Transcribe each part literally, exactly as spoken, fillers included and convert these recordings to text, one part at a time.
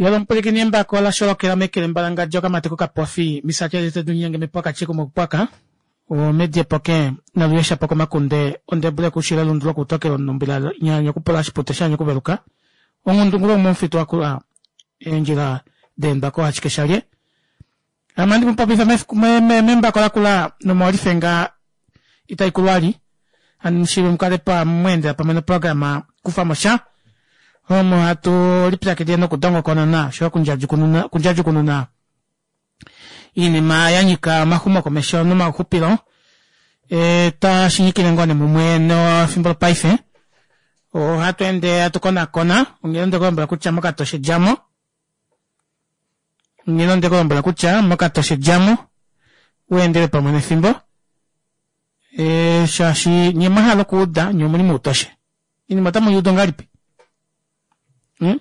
Yolo embako la sholokela mekele mbalangadja okamati kokapofi misatya dunyenge mepwaka chikumu pwaka omedi epoke naluyesha pokomakunde ondebule kushila lundu lokutokela onumbila nyanya okupula shipute shanya okuveluka onghundungulo momufitu wakula eendjila deembako ashike shalye ame andi mupopifa membako lakula nomolifenga itaikulwali handi mukale pamweendela pamwe noprograma kufamo sha omo hatu lipyakidile nokudongokonona oshoyo okundjadjukununa iinima yanyika omaxumokomesho nomauxupilo e tashinyikile ngoo nee mumwe nefimbo lopaife ohatu ende hatu konakona onghee ondekulombwela kutya mokatoshe djamo onghee ondekulombwela kutya mokatoshe djamo weendele pamwe nefimbo e shaashi nye mwahala okuuda nye omuli moutoshe iinima otamu ngahelipi hmm?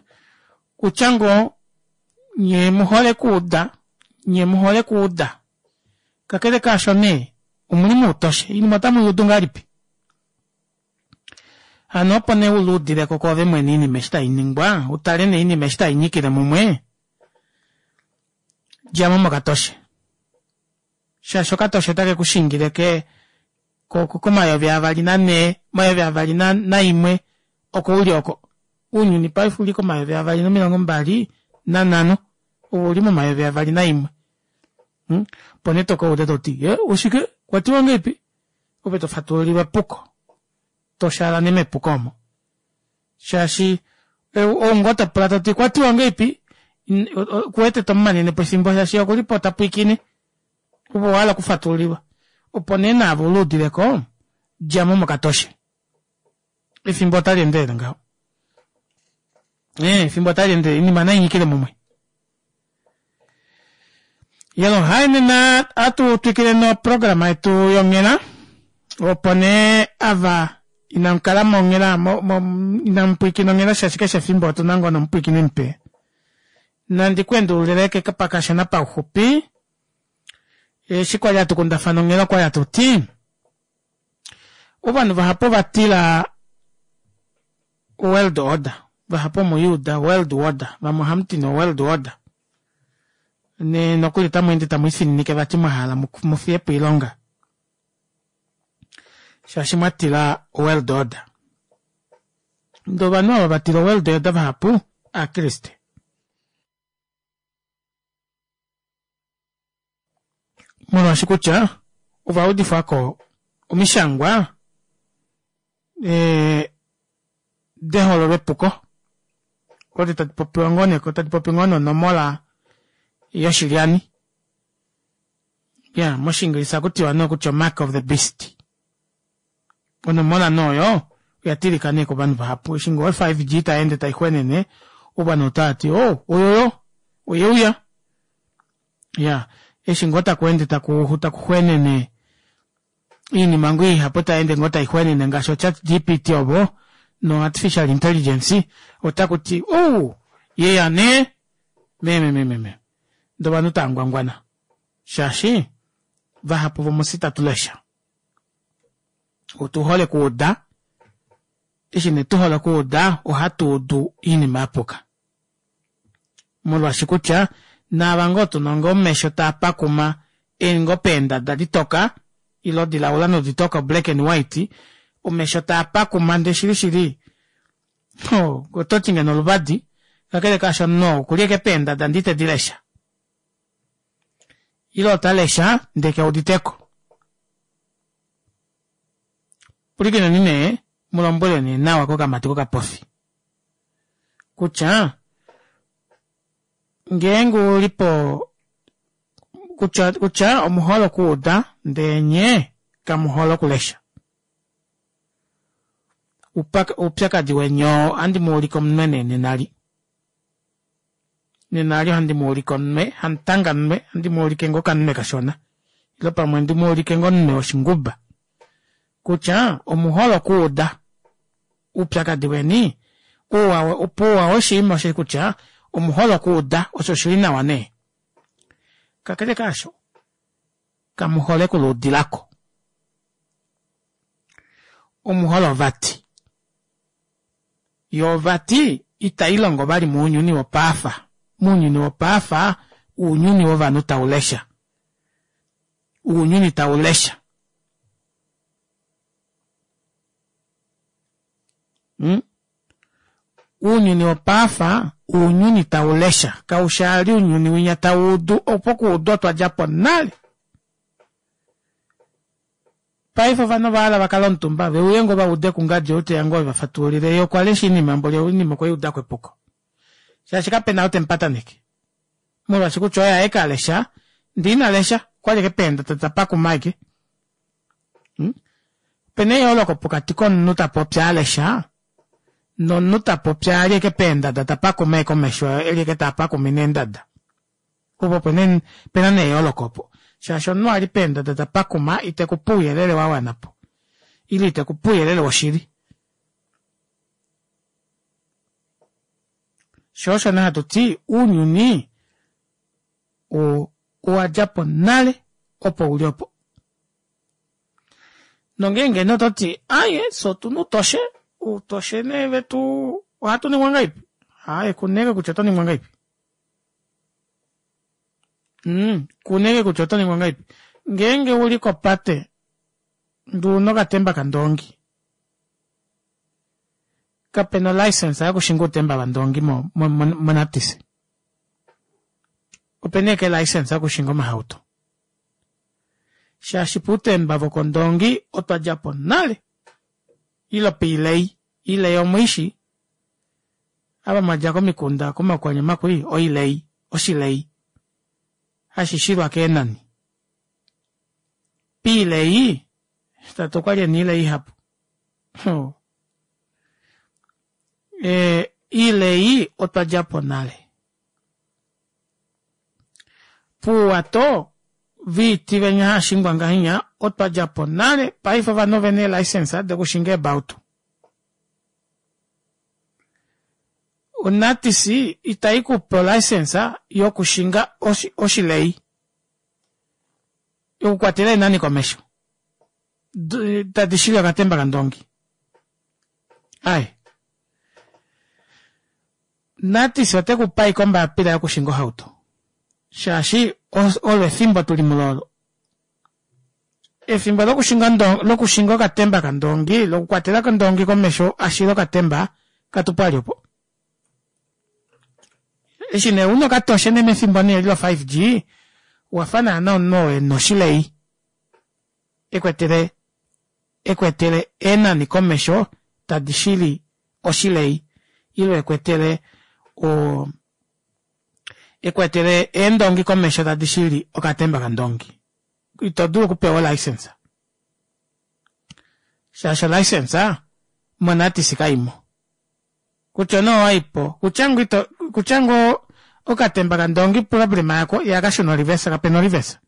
Kutya ngoo nye muhole kuuda nye muhole kuuda kakele kaasho nee omuli moutoshe iinima otamu yuudu ngahelipi hano opo nee uluudileko koove mwene iinima eshi tainingwa utale nee iinima eshi tainyikile mumwe djamo mokatoshe shaashi okatoshe otake kushingile ke komayovi avali nanhee omayovi avali naimwe oko uli oko ounyuni paife uli komayovi avali nomilongo mbali nanhano ove uli momayovi avali naimwe hmm? opo nee tokauda toti ye oshike kwatiwa ngahelipi ove tofatululilwa epuko toshaala nee mepuko omo shaashi ou ngoo topula toti kwatiwa ngahelipi kuwete tomumanenepo efimbo shaashi okulipo tapwiikine ove owahala okufatululilwa opo nee naave uluudileko djamo mokatoshe efimbo otali endelele ngaho ee efimbo otali endelele iinima nainyikile mumwe yelo hai nena atu twikile noprograma yetu yonghela opo nee ava inamukala monghela inamupwiikina onghela shaashi keshe efimbo otuna ngoo nomupwiikini mupe nandi ku endululile pakashona pauxupi eshi kwali hatu kundafana onghela okwali hatu ti ovanhu vahapu ovatila world order vahapu omuyuuda world order vamwe ohamuti no world order ne nokuli tamu ende tamu ifininike vati mwahala mufiyepo oilonga shaashi mwatila world order ndee ovanhu ava vatila world order vahapu aakriste molwaashi kutya ovaudifwako omishangwa e deholo lepuko odi tadi popiwa ngoo nee tadi popi ngoo nonomola yoshilyani ya moshiingilisa kutiwa nee kutya mark of the beast onomola nooyo oya tilika nee kovanhu vahapu eshi ngoo five G taende taixwenene ovanhu otavati oh oyoyo oyeuya ya eshi ngoo taku taku takuxwenene iinima ngoo ihapu taende ngoo taixwenene ngaashi ochat G P T ovo no artificial intelligence otakuti oh yeya nee mememememe ndee ovanhu tangwangwana shaashi vahapu vomusi tatulesha otuhole kuuda eshi nee tuhole kuuda ohatu udu iinima yapuka molwaashi kutya naava ngoo tuna ngoo omesho taapakuma eli ngoo peendada ditoka ilo dilaula noditoka black and white omesho taapakuma ndee shili shili ototi ngeno oluvadi kakele kaasho no okuli eke peendada ndee itedilesha ilo otalesha ndee keuditeko pulikineni nee mulombwele nee nawa kokamati kokapofi kutya ngeenge ulipo kutya kutya omuhole okuuda ndee nye kamuhole okulesha oupyakadi weni oo ohandi muulike omunwe nee nenali nenali ohandi muulike omunwe hamutanga munwe ohandi muulike ngoo okamunwe kashona ilo pamwe ndimuulike ngoo omunwe woshinguba kutya omuhole okuuda oupyakadi weni pouwa woshinima oshe kutya omuhole okuuda osho oshili nawa nee kakele kaasho kamuhole okuluudilako omuhole ovati yoo vati itailongo vali mounyuni wopaafa Mounyuni wopaafa ounyuni wovanhu taulesha. Ounyuni taulesha. Mm? Ounyuni wopaafa ounyuni taulesha. Kaushaali ounyuni winya tauudu opo kuudu otwa djapo nale. Paife ovanhu ovahala vakale omutumba veuye ngoo vaude kungadi ou teya ngoo evafatululile yee okwa lesha oinima mboli oinima okweyuudako epuko. Shaashi kapena ou temupataneke. Molwaashi kutya oye aeke alesha ndee ina lesha okwali ashike peendada tapakuma ashike. Hmm? Opena eyooloko pokati komunhu tapopi alesha nomunhu tapopi ali ashike peendada tapakuma ashike omesho eli ashike taapakumine eendada. Opo opena nee eyooloko opo. Shaashi omunhu ali peendada tapakuma itekupe ouyelele wawanapo ile itekupe ouyelele woshili. Shoo osho nee hatuti ounyuni owadjapo nale opo uli opo. Nongeenge nee ototi aaye fyee otuna outoshe, outoshe nee vetu ohatu ningwa ngahelipi? Aaye kuna ashike kutya otoningwa ngahelipi. Mm kuna ashike kutya otoningwa ngahelipi. Ngeenge uli kopate ndee una okatemba kandoongi, kapena o licence yokushinga outemba vandoongi mo- mo- monatis. Opena ashike e licence yokushinga omahauto. Shaashi poutemba vokondoongi otwa djapo nale. Ile poilei, oilei omwiishi? Ava mwadja komikunda komaukwanyama kwii oilei oshilei hashishilwa keenani. Poilei tate okwali ena oilei ihapu. Ee oilei otwa djapo nale. Pouwato voiti venya haashingwa ngahenya otwa djapo nale paife ovanhu ovena ee licence dokushinga eebautu. Onatis itaikupe o licence yokushinga oshilei yoku kwatela eenani komesho tadi shili okatemba kandoongi. Aaye Natis otekupe ashike ombaapila yokushinga ohauto shaashi olo efimbo tuli mulo olo. Efimbo lokushinga lokushinga okatemba kandoongi lokukwatela kondoongi komesho ashile okatemba katupo vali opo. Eshi nee una okatoshe nee mefimbo nee eli lo five G owafa naana omunhu oo ena oshilei ekwetele ekwetele eenani komesho tadi shili oshilei ile ekwetele oo ekwetele eendongi komesho tadi shili okatemba kandoongi. Ito dulu okupewa o licence shaashi o licence monatis kaimo. Kutya nee owaipo kutya ngoo ito kutya ngoo okatemba kandoongi problem yako ihakashuna o reverse kapena o reverse.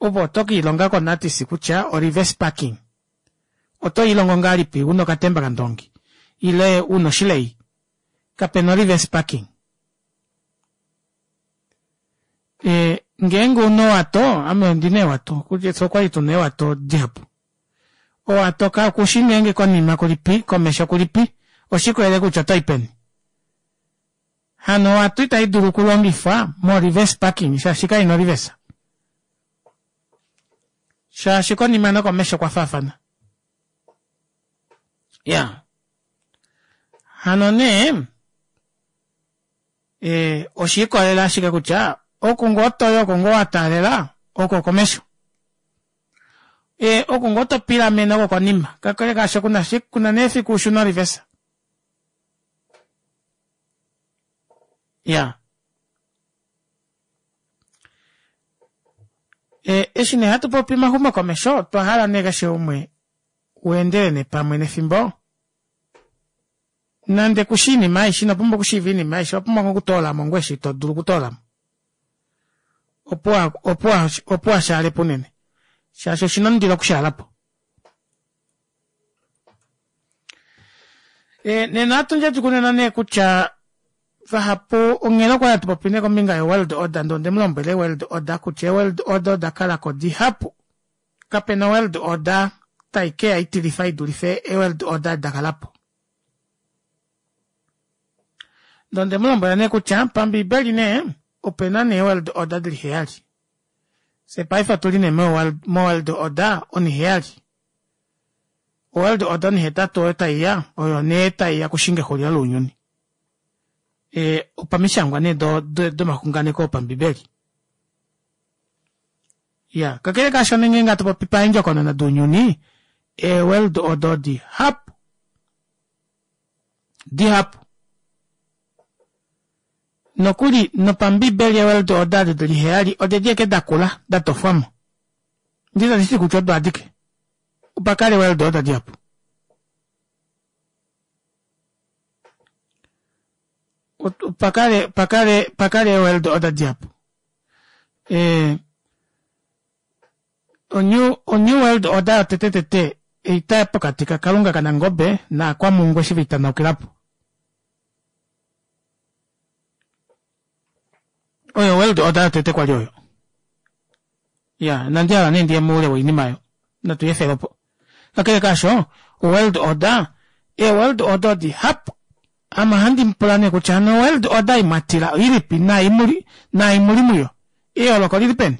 Ove oto kiilonga ko natis kutya o reverse parking oto ilongo ngahelipi una okatemba kandoongi ile una oshilei kapena o reverse parking. Ee ngeenge ouna owato ame ondina eewato fyee okwali tuna eewato dihapu. Owato kushi ngeenge konima kulipi komesho kulipi oshiikolelela ashike kutya otoyi peni. Hano owato ita idulu okulongifwa mo reverse parking shaashi kaina o reverse. Shaashi konima nokomesho okwa faafana. Iyaa hano nee ee oshiikolelela ashike kutya oku ngoo toyi oko ngoo wataalela oko okomesho. Ee oku ngoo topilamene oko okonima kakele kaasho kuna nee efiku ushune o reverse. Iyaa eshi nee hatu popi omaxumokomesho otwa hala nee keshe umwe weendele nee pamwe nefimbo nande kushi oinima aishe inopumbwa okushiiva oinima aishe owapumbwa ngoo okutoolamo ngoo eshi todulu okutoolamo opo opo opo uhashaalepo unene shaashi oshina omundilo okushaalapo. Nena ohatu ndjadjukununa nee kutya vahapu onghela okwali hatu popi nee kombinga yo world order ndee ondemulombwela ee world order kutya ee world order odakalako dihapu. Kapena world order taikeya itilifa idulife ee world order edi dakalapo. Ndee ondemu lombwela nee kutya pambiibeli nee opena nee world order dili heyali. Fye paife otuli nee mo world order oniheyali. World order onihetatu oyo taiya oyo nee taiya okushinga exulilo lounyuni. Ee opamishangwa nee domaxunganeko opambibeli. Iyaa kakele kaasho nee ngenge hatupopi paendjokonona dounyuni ee world order odihapu dihapu nokuli nopambibeli ee world order odo dili heyali odedi ashike dakula datofwamo ndee itanditi kutya odo adike opakala ee world order dihapu opakale opakale ee world order dihapu ee o new world order yotete tete oita pokati ka kalunga kanangobe naakwampungu eshi viitanaukilapo oyo world order yotete kwali oyo iyaa inandi hala nee ndiye moule woinima aayo natu yeefele opo kakele kaasho o world order ee world order odihapu ame ohandi mupula nee kutya hano o world order ei mwatila oilipi naai muli muyo eyooloko olilipeni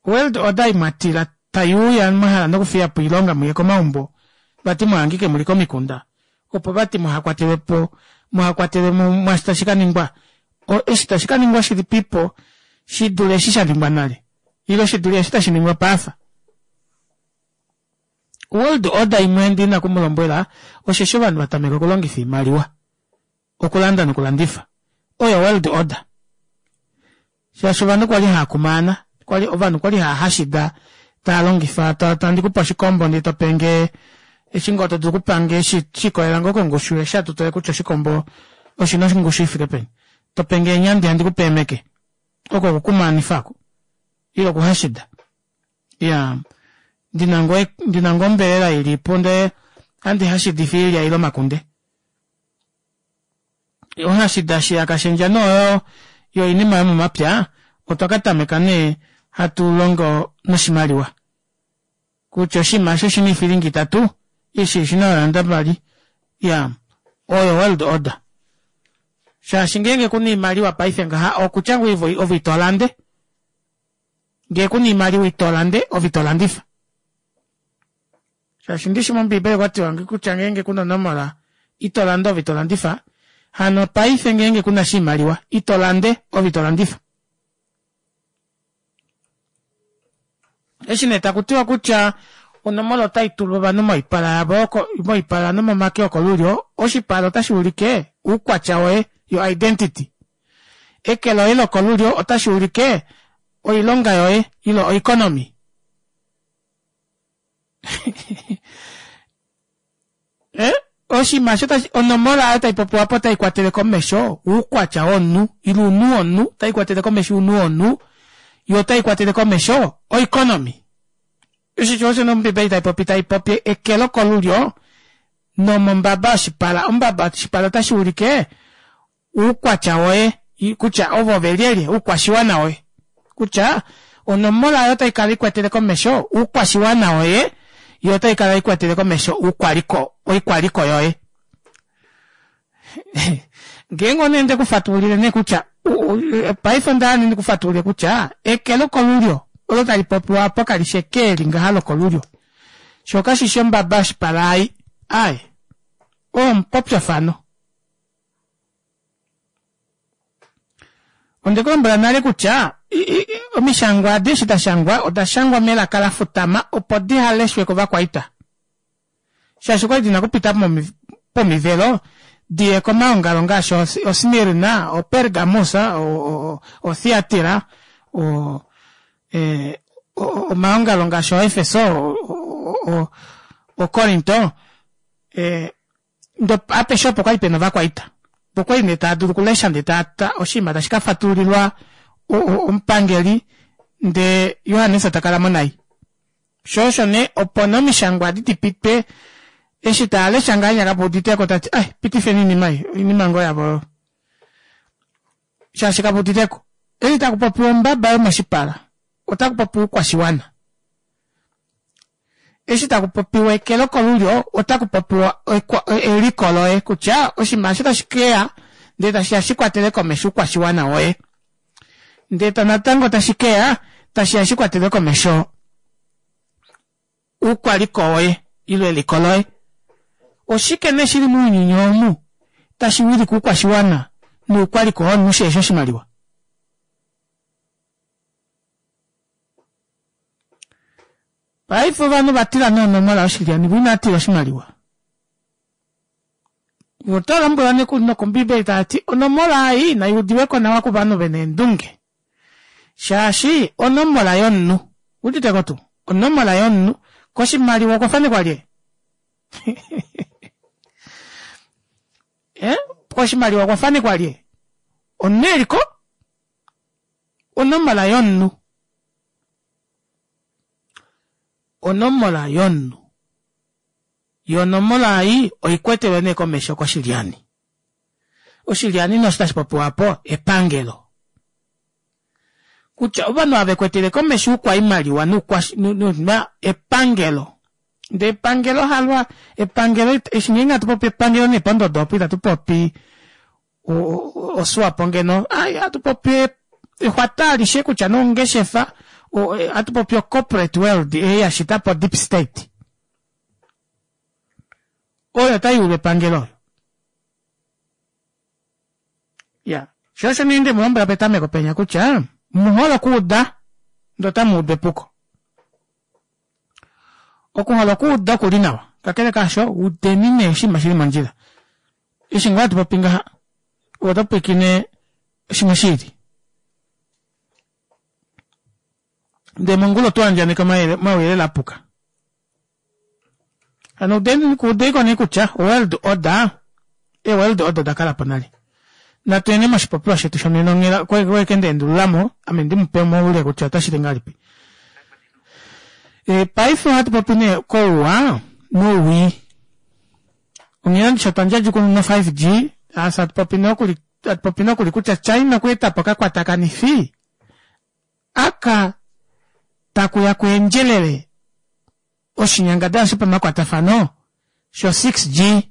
o world order ei mwatila taiuya mwahala nokufiyapo oilonga muye komaumbo vati muhangike muli komikunda opo vati muhakwatelwepo muhakwatelwe mwaashi tashi kaningwa eshi tashi kaningwa shilipipo shidule eshi shaningwa nale ile shidule eshi tashiningwa paife. World order imwe ndina okumulombwela osheshi ovanhu vatameka okulongifa oimaliwa okulanda nokulandifa oyo world order shaashi ovanhu kwali haakumaana kwali ovanhu kwali haahashida taalongifa handikupe oshikombo ndee topenge eshi ngoo todulu okupange shikolela ngoo kongushu eshi hatu tale kutya oshikombo oshina ongushu ifike peni topenge eenyandi handikupe eemeke oko okukumaanifa aako ile okuhashida iyaa ndina ngoo ndina ngoo ombelela ilipo ndee ohandi hashidifa oilya ile omakunde ohashida shiya kashendja nee oyo yoinima yomomapya otwa katameka nee hatulongo noshimaliwa kutya oshinima eshi oshina oifilinga itatu eshi oshina eeranda mbali iyaa oyo world order shaashi ngeenge kuna oimaliwa paife ngaha okutya ngoo ove itolande ngee kuna oimaliwa itolande ove itolandifa shaashi ndishi mombiibeli okwatiwa kutya ngeenge kuna onomola itolande ove itolandifa hano paife ngeenge kuna oshimaliwa itolande ove itolandifa eshi nee takutiwa kutya onomola otaitulwa ovanhu moipala yavo moipala nomomake okolulyo oshipala otashi ulike oukwatya woye your identity eke loye lokolulyo otashi ulike oilonga yoye ile oeconomy eh oshinima osho onomola oyo taipopiwa apo otaikwatele komesho oukwatya womunhu ile ounhu womunhu otaikwatele komesho ounhu womunhu yoo otaikwatele komesho oeconomy osho osho nee ombibeli taipopi taipopi eke lokolulyo nomombaba yoshipala ombaba yoshipala otashi ulike oukwatya woye kutya ove ove lyelye oukwashiwana woye kutya onomola oyo otaikala ikwetele komesho oukwashiwana woye yoo otaikala ikwetele komesho oukwaliko oikwaliko yoye ngeenge nee ondekufatululile nee kutya paife ondahala nee ndikufatululile kutya eke lokolulyo olo tali popiwa apo kalishi eke eli ngaha lokolulyo shoo kashishi ombaba yoshipala ei aaye oo omupopyofano ondekulombwela nale kutya omishangwa adi eshi dashangwa oda shangwa melaka lafutama opo dihaleshwe kovakwaita shaashi okwali dina okupita pomivelo diye komaongalo ngaashi osmirna opergamus othiatira omaongalo ngaashi oefeso okorinto apeshe opo kwali pena ovakwaita opo kwali nee taadulu okulesha ndee oshinima tashi kafatululilwa omupangeli ndee johannes takalamo nai shoo osho nee opo nee omishangwa adi dipite eshi taalesha ngahenya kaveuditeko tati ai pitifeni oinima ei oinima ngoo yavo oyo shaashi kaveuditeko eshi takupopiwa ombaba yomoshipala otakupopiwa oukwashiwana Eshi takupopiwa eke lokolulyo otakupopiwa eliko loye kutya oshinima eshi otashi keya ndee tashiya shikwatele komesho oukwashiwana woye ndee natango tashi keya tashiya shikwatele komesho oukwaliko woye ile eliko loye. Oshike nee shili mounyuni omu tashi wilike oukwashiwana noukwaliko womunhu shihefi oshimaliwa? Paife ovanhu ovatila nee onomola yoshilyani voo inaatila oshimaliwa. Voo otavalombwelwa nokombibeli tavati onomola ei naiudiweko nawa kovanhu vena eendunge shaashi onomola yomunhu owuuditeko tuu onomola yomunhu koshimaliwa okwafanekwa lye ee koshimaliwa okwafanekwa lye omunhu eliko onomola yomunhu onomola yomunhu yoo onomola ei oikwetelwe nee komesho koshilyani. Oshilyani nee osho tashi popiwa aapo epangelo. Kutya ovanhu ava vekwetele komesho oukwaimaliwa noukwa epangelo. Ndee epangelo halwa epangelo eshi ngeenge hatu popi epangelo nee pondodo opo itatu popi oSwapo ngeno aaye ohatu popi exwata alishe kutya nee ongeshefa ohatu popi o corporate world ei yashitapo deep state oyo tayuulwa epangelo oyo. Iya shoo osho nee ndemulombwela petameko penya kutya omuhole okuuda ndee otamuudu epuko. Okuhola okuuda okuli nawa kakele kaasho udeni nee oshinima shili mondjila. Eshi ngoo hatu popi ngaha ove oto pwiikine shimwe shiili ndee mongula oto andjaneke omauyelele apuka. Hano udeiko nee kutya world order, ee world order odakalapo nale. Natuyeni moshipopiwa shetu shonena onghela okweke ndaendululamo ame ndimupe moule kutya otashiti ngahelipi. E paife ohatu popi nee kouwa nowii. Onghela ndishi otwa ndjadjukununa o five G fyee hatu popi nokuli hatu popi nokuli kutya China okwa etapo okakwatakanifi aka takuya kweendjelele oshinyangadalwa shopamakwatafano sho six G.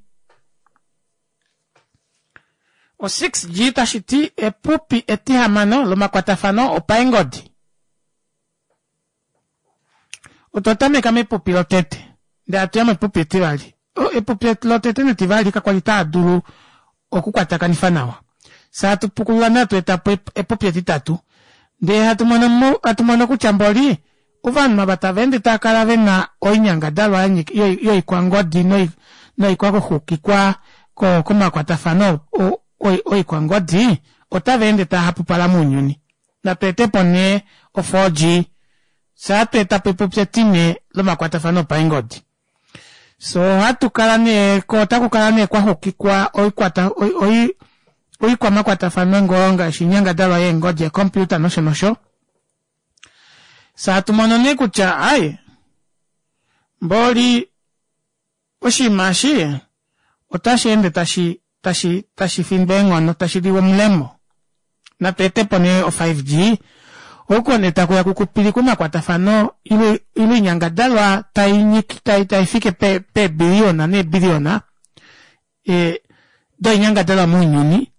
O six G tashiti epupi etihamano lomakwatafano opaengodi. Otwa tameka mepupi lotete ndee hatuya mepupi etivali. Epupi lotete netivali kakwali taadulu okukwatakanifa nawa. Fyee hatu pukulula nee hatu etapo epupi etitatu ndee hatu mono hatu mono kutya mboli ovanhu ava tavaende taakala vena oinyangadalwa yoikwangodi noikwakuxukikwa komakwatafano oikwangodi otavaende taahapupala mounyuni. Natu etepo nee o four G fyee ohatu etapo epupi etine lomakwatafano opaengodi. Fyee ohatu kala nee koo otakukala nee kwaxukikwa oikwata oikwamakwatafano ngoo ngaashi oinyangadalwa yeengodi eecomputer nosho nosho. Fyee hatu mono nee kutya aaye mboli oshinima eshi otasheende tashi tashi tashi findwa eenghono tashiliwa omulemo. Natu etepo nee o five G oko nee takuya kukupilikwe omakwatafano ile oinyangadalwa taifike peebiliyona neebiliyona doinyangadalwa mounyuni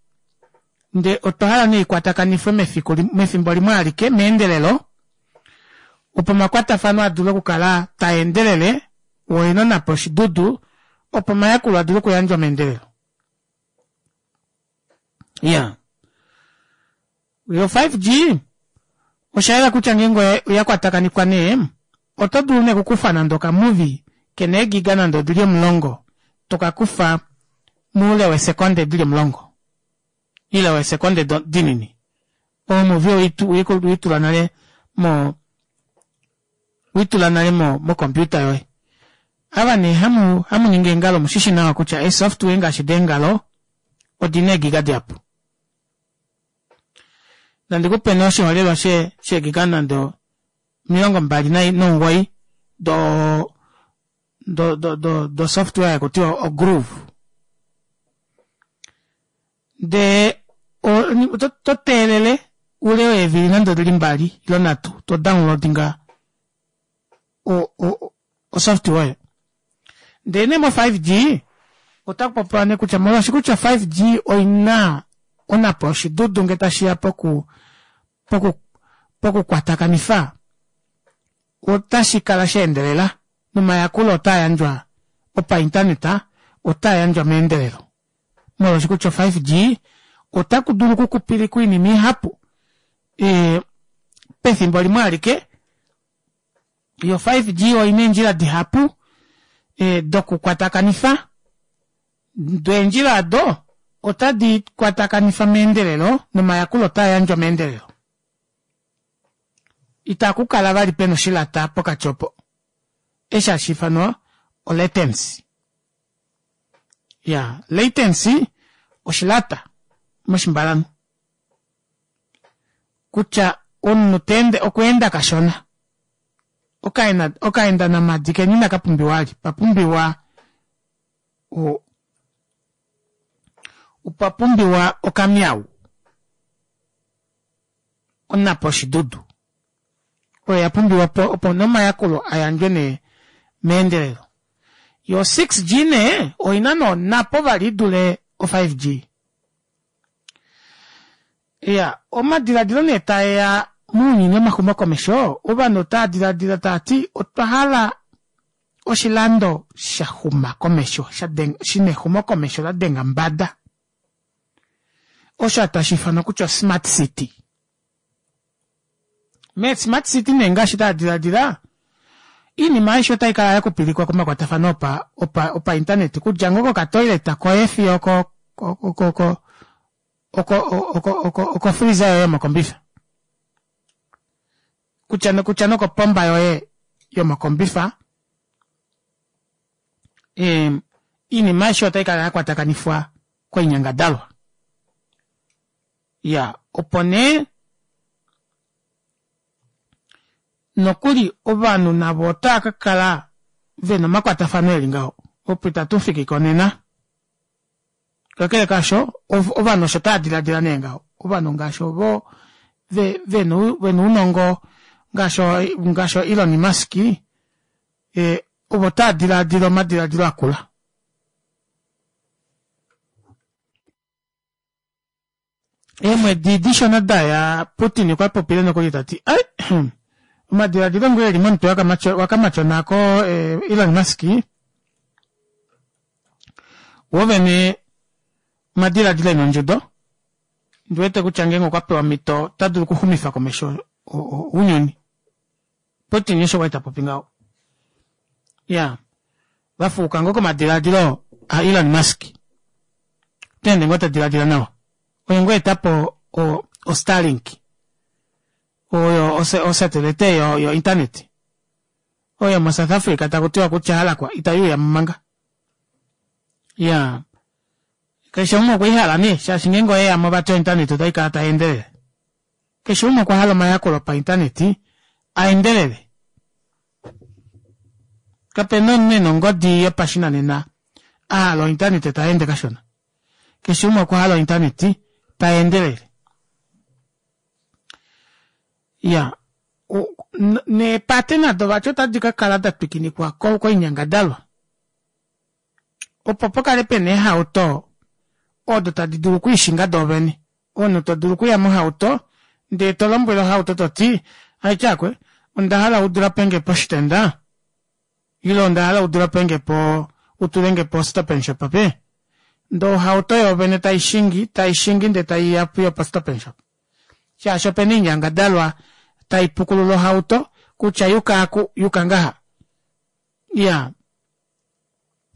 ndee otwa hala nee ikwatakanifwe mefiku mefimbo limwe alike meendelelo opo omakwatafano adule okukala taendelele woo oena onhapo yoshidudu opo omayakulo adule okuyandjwa meendelelo. Iyaa yo five G oshayela kutya ngeenge oyakwatakanifwa nee oto dulu nee okukufa nande okamuvi kena eegiga nande odili omulongo tokakufa moule weesekonde dili omulongo ile weesekonde dinini. Omuvi oweitula nale mo weitula nale mo computer yoye. Ava nee hamu hamuningi eengalo omushishi nawa kutya ee software ngaashi deengalo odina eegiga dihapu. Nandikupe nee oshiholelwa sheegiga nande omilongo mbali nomugoyi do do do do software hakutiwa o groove. Ndee oto teelele oule weevili nande odili mbali ile nhatu to downloadinga Osoftware. Ndee nee mo five G otaku popiwa nee kutya molwaashi kutya five G oina onapo oshidudu ngee tashiya poku poku pokukwatakanifa otashi kala sheendelela nomayakulo otaayandjwa opainternet otaayandjwa meendelelo molwaashi kutya o five G otaku dulu okukupilikwa oinima ihapu ee pefimbo limwe alike yo five G oina eendjila dihapu dokukwatakanifa doo eendjila aado otadi kwatakanifa meendelelo nomayakulo otaayandjwa meendelelo ita kukala vali pena oshilata pokati opo eshi hashiifanwa o latency iya latency oshilata moshimbalanhu kutya omunhu teende okweenda kashona okaenda namadi keni inakapumbiwa vali opapumbiwa opapumbiwa okamyawu onapo oshidudu oyo yapumbiwa opo nomayakulo ayandjwe nee meendelelo yo six G nee oina nonapo vali idule o five G iya omadiladilo nee taeya mounyuni womaxumokomesho ovanhu otava diladila taati otwa hala oshilando shaxuma komesho shina exumokomesho ladenga mbada osho tashi ifanwa kutya smart city me smart city nee ngaashi tava diladila oinima aishe otaikala yakupilikwa komakwatafano opa opa opa internet kudja ngoo kokatoilet koye fiyo oko oko oko oko freezer yoye yomokombifa kutya kutya nokopomba yoye yomokombifa oinima aishe otaikala yakwatakanifwa koinyangadalwa iya opo nee nokuli ovanhu navo otava kakala vena omakwatafano eli ngaho opo itatu konena kakele kaasho ovanhu osho tava diladila nee ngaho ovanhu ngaashi ovo vena ounongo ngaashi Elon Musk ovo tava diladila omadiladilo akula eemwedi dishona daya Putin okwa popile nokuli tati omadiladilo ngoo eli momutwe wakamatyona ko Elon Musk wovene omadiladilo ena ondjudo ndiwete kutya ngeenge okwa pewa omhito ota dulu okuxumifa komesho ounyuni Putin osho kwali tapopi ngaho iya vafuuka ngoo komadiladilo a Elon Musk otaende ngoo tadiladila nawa oye ngoo etapo o Starlink oyo osatelite yo internet oyo mo South Africa takutiwa kutya halakwa itayuuyamo manga iya keshe umwe okweihala nee shaashi ngeenge oyeyamo vati o internet otaikala taendelele keshe umwe okwa hala omayakulo opainternet aendelele kapena omunhu ena ongodi yopashinanena ahala o internet taende kashona keshe umwe okwa hala o internet taendelele iya neepate nado vati otadi kakala datwikinikwa koinyangadalwa opo pukale pena eehauto odo tadi dulu okwiishinga doovene omunhu todulu okuya mohauto ndee tolombwele ohauto toti aityakwe ondahala udulapenge poshitenda ile ondahala udulapenge po utulenge po stop and shop ape ndee ohauto yoovene taishingi taishingi ndee taiya fiyo po stop and shop shaashi opena oinyangadalwa taipukulula ohauto kutya yuka aku yuka ngaha iya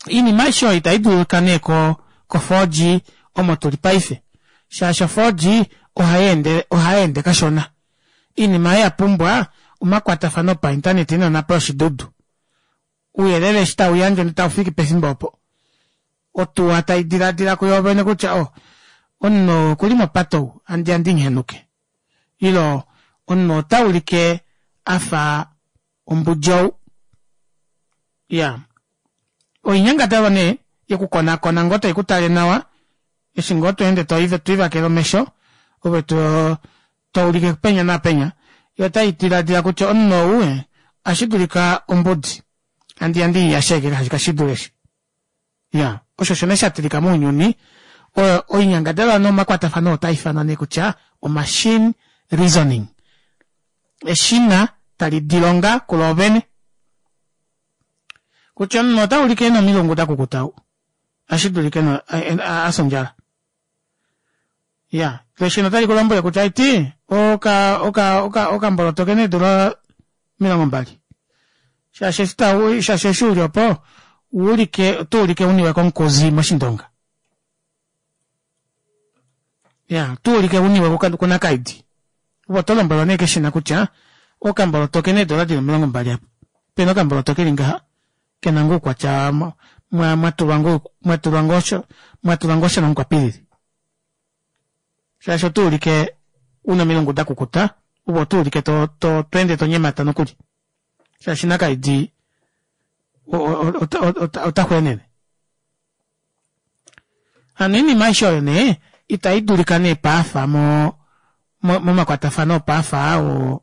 oinima aishe oyo itaidulika nee ko ko four G omo tuli paife shaashi o four G ohayeende ohayeende kashona oinima oyo yapumbwa omakwatafano opainternet nonapo yoshidudu ouyelele eshi tauyandjwa ndee taufiki pefimbo opo otuwa taidiladila kuyoovene kutya oh omunhu okuli mopate ou handiya ndinhenuke ile omunhu otaulike afa ombudi ou iya oinyangadalwa nee yokukonakona ngoo taikutale nawa eshi ngoo tweende toivakele omesho ove toulike penya naapenya yo otaidiladila kutya omunhu ou ashidulika ombudi Handi yandi yasheke kashi dule eshi. Ya, osho osho nee sha tilika mounyuni. Oinyangadalwa nomakwatafano otaifanwa nee kutya o machine reasoning. Eshina tali dilonga kuloovene. Kutya omunhu otaulike ena omilungu dakukuta ou. Ohashi dulika afya ondjala. Iyaa loo eshina otali kulombwele kutya aiti oka oka okamboloto okena eedora omilongo mbali shaashi shaashi eshi uli opo owaulike otoulike uniwe komukuzi moshindonga. Iyaa otuulike uniwe kunakaidi ove otolombwelwa nee keshina kutya okamboloto okena eedora dili omilongo mbali aapa opena okamboloto keli ngaha kena ngoo oukwatya mwatulwa ngoo mwatulwa ngoo shamukwapilili shaashi otuulike una omilungu dakukuta ove otuulike to- to tweende tonyemata nokuli shaashi nakaidi otaxweenene. Hano oinima aishe oyo nee ita idulika nee paafa moo momakwatafano opaafa aa wo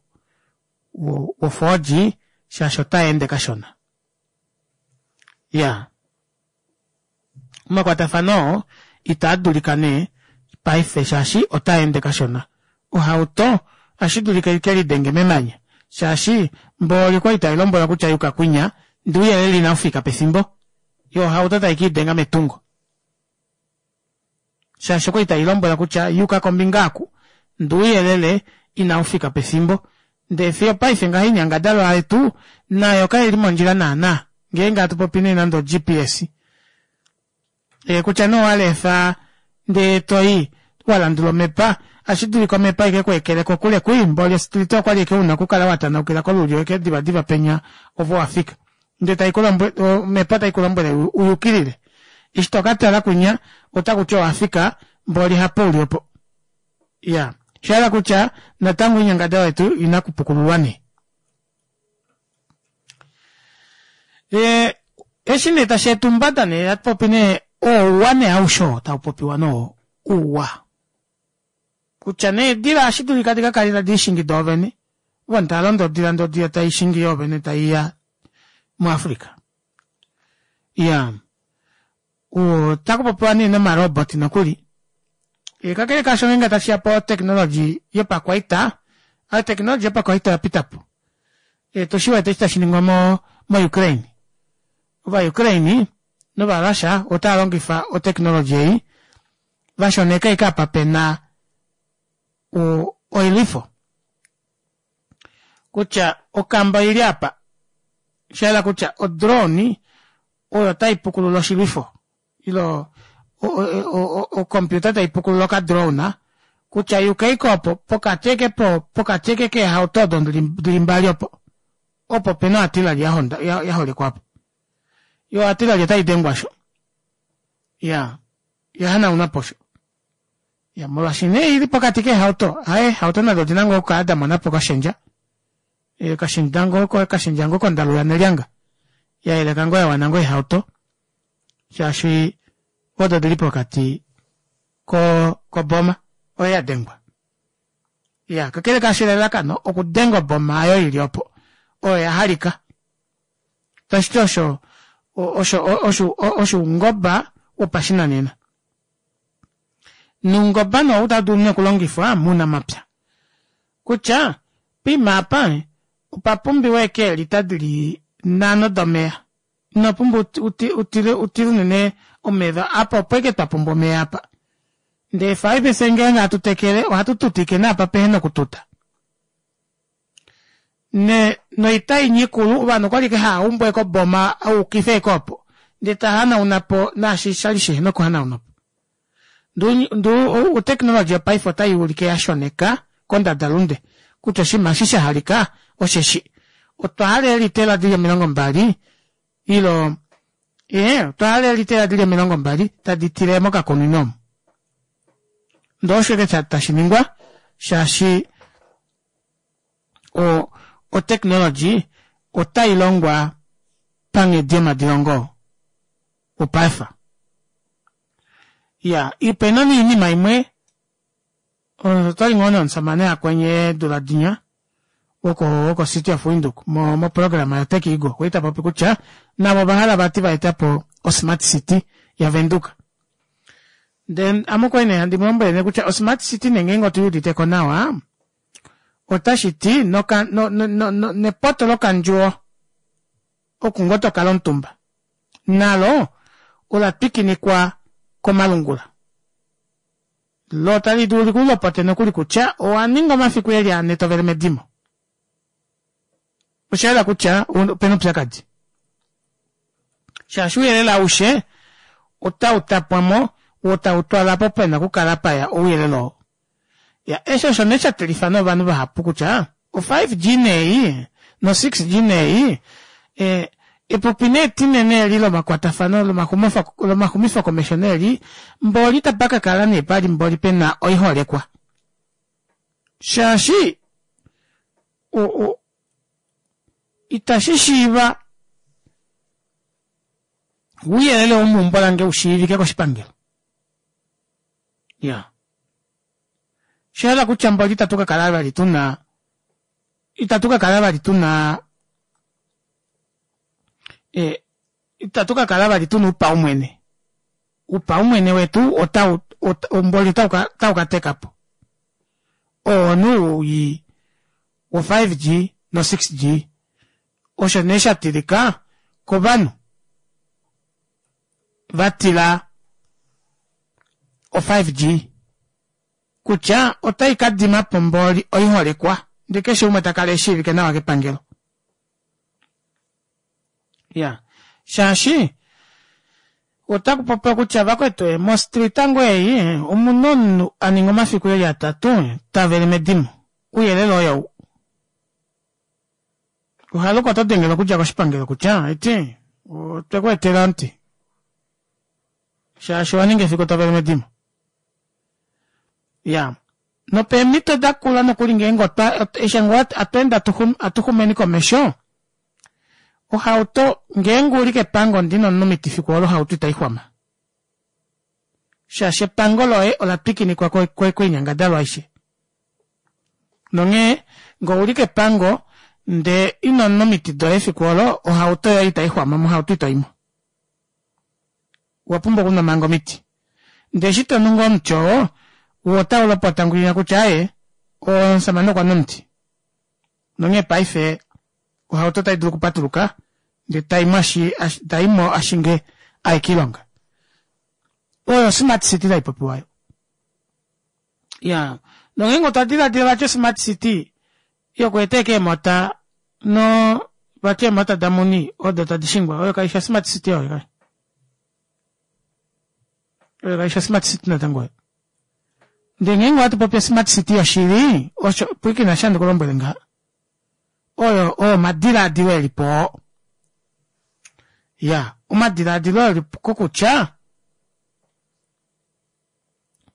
wo four G shaashi otaende kashona. Iyaa omakwatafano oo itaadulika nee paife shaashi otaende kashona. Ohauto ohashidulika ikelidenge memanya shaashi mboli okwali tailombwelwa kutya yuka kwinya ndee ouyelele inaufika pefimbo yoo ohauto taikiidenga metungo. Shaashi okwali tailombwelwa kutya yuka kombinga aaku ndee ouyelele inaufika pefimbo ndee fiyo opaife ngaha oinyangadalwa yetu nayo kaili mondjila naana ngeenge hatupopi nee nande o G P S kutya nee owalefa ndee toyi walandula omepa ohashidulika omepa ikekweekele kokule kwii mboli ostrita okwali ashike una okukala watanaukila kolulyo ashike diva diva penya ove owafika ndee omepa taikulombwele uyukilile eshi tokatala kwinya otakuti owafika mboli hapo uli opo. Iyaa oshahala kutya natango oinyangadalwa yetu oina okupukululwa nee. Ee eshi nee tasheeta oumbada nee hatupopi nee ouwa nee aushe oo taupopiwa nee ouwa kutya nee eedila ohashidulika dikakale tadiishingi doovene ovanhu taalondo odila ndee odila taishingi yoovene taiya mu africa. Iyaa otakupopiwa nee noma robot nokuli kakele kaasho ngeenge tashiya po technology yopakwaita o technology yopakwaita oyapitapo otushiwete eshi tashiningwa mo mo ukraine. Ova ukraine nova russia otaalongifa o technology ei vashoneka ashike apa pena oilwifo kutya okamba oili aapa oshahala kutya o drone oyo taipukulula oshilwifo ile ocomputer taipukulula oka drone kutya yuka ashike opo pokati ashike pokati ashike keehauto odo dili mbali opo opo pena o artillery yaholekwa aapo yoo o artillery otaidengwa aasho iyaa yahanaunwapo osho. Iya molwaashi nee oili pokati keehauto aaye eehauto nado odina ngoo okukala damonapo okashendja okashendja ngoo kondalu yanelyanga yayeleka ngoo yawana ngoo eehauto shaashi odo odili pokati koboma oyo yadengwa. Iyaa kakele kaasho elalakano okudenga oboma aayo ili opo oyo yahalika tashiti osho osho osho oungoba wopashinanena. Noungoba nee ou otadulu nee okulongifwa mounamapya kutya poima aapa opa pumbiwa ashike eelita dili nhano domeva inopumbwa utile unene omeva apa opo ashike twapumbwa omeva aapa ndee paife fyee ngenge hatu tekele ohatu tutike naapa pehena okututa. Noita inya ikulu ovanhu okwali ashike haaumbu ashike oboma ayukifa ashike opo ndee tahanaunapo naashi shali shihena okuhanaunwapo. Ndee o technology yopaife otayuulike yashoneka kondada lunde kutya oshinima eshi shahalika osheshi otwa hala eelitela dili omilongo mbali ile ee otwahala eelitela dili omilongo mbali tadi tile mokakunino omu. Ndee osho ashike tashiningwa shaashi o technology otailongwa panghedi yomadilongo opaife. Iyaa opena nee oinima imwe otwali ngoo nomushamane akwenye eedula dinya woko woko City of Windhoek mo mo programa yo Tech Eagle okwa li tapopi kutya navo ovahala vati vaetapo o smart city ya Venduka. Then ame okwali nee handi mulombwele nee kutya o smart city nee ngeenge otuyiuditeko nawa otashiti noka no no no nepoto lokandjuwo oku ngoo tokala omutumba nalo ola twikinikwa komalungula lo tali dulu likulopote nokuli kutya owaninga omafiku eli ane tovele medimo oshayela kutya opena oupyakadi shaashi ouyelele aushe ota utapwamo woo tautwala opo pena okukala paya ouyelele oo ya eshi osho nee shatilifa nee ovanhu vahapu kutya o five G nee no six G nee ee epupi nee etinene eli lomakwatafano lomaxumifo komesho nee eli mboli itapakakala nee pali mboli pena oiholekwa shaashi o o itashi shiiva ouyelele womeumbo lange ushiivike koshipangelo iya osha kutya mboli itatu kakala vali tuna itatu kakala vali tuna e itatu kakala vali tuna oupaumwene oupaumwene wetu otau mboli otaukatekapo oo nee ou wo five G no six G osho nee shatilika kovanhu vatila o five G kutya ota ikadimapo mboli oiholekwa ndee keshe umwe takala eshiivike nawa kepangelo iya shaashi otakupopiwa kutya vakwetu mo street ngoo ei omuna omunhu aninga omafiku eli atatu tavele medimo ouyelele oyou ohaluka oto dengelwa okudja koshipangelo kutya eti otwekweetela omuti shaashi owaninga efiku tovele medimo iya nopeemito dakula nokuli ngeenge otwa eshi ngoo atweende atuxumeni komesho ohauto ngeenge uli kepango ndee inonwa omiti efiku olo ohauto itaixwama shaashi epango loye ola twikinikwa koinyangadalwa aishe nonghee ngee ouli kepango ndee inonwa omiti doye efiku olo ohauto yoye itaixwama mohauto itoimo owapumbwa okunwa manga omiti ndee eshi tonu ngoo omuti oo woo otaulopota ngwinya kutya aaye omushamane okwanwa omuti nonghee paife ohauto otaidulu okupatuluka ndee taimo ashinge aye koilonga oyo smart city taipopiwa aayo iyaa nongeenge otwa dilaadila vati o smart city yokweeta ashike eemota noo vati eemota damuni odo tadi shingwa oyo kaifi o smart city oyo oyo kaifi o smart city natango oyo ndee ngeenge ohatupopi o smart city yoshili osho pwiikina eshi handi kulombwele ngaha oyo oo omadilaadilo elipo oo iyaa omadilaadilo elipo kokutya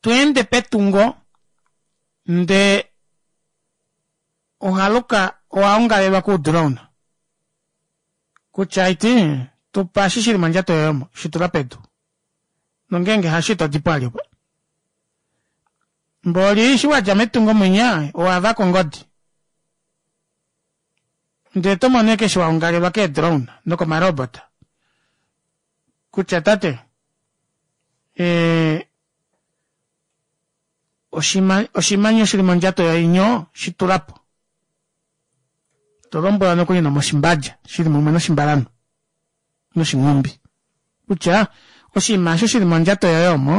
tweende petungo ndee ohaluka owaongalelwa kuu drone kutya aiti tupa eshi shili mondjato yoye omo shitula pedu nongeenge hasho itodipo vali opo mboli eshi wadja metungo mwinya owavaka ongodi ndee otomono ashike eshi waongalelwa kee drone nokoma robot kutya tate ee oshimanya shili mondjato yoye inyo shitulapo tolombwelwa nokuli nomoshimbadja shili mumwe noshimbalanhu noshinghumbi kutya oshinima aasho shili mondjato yoye omo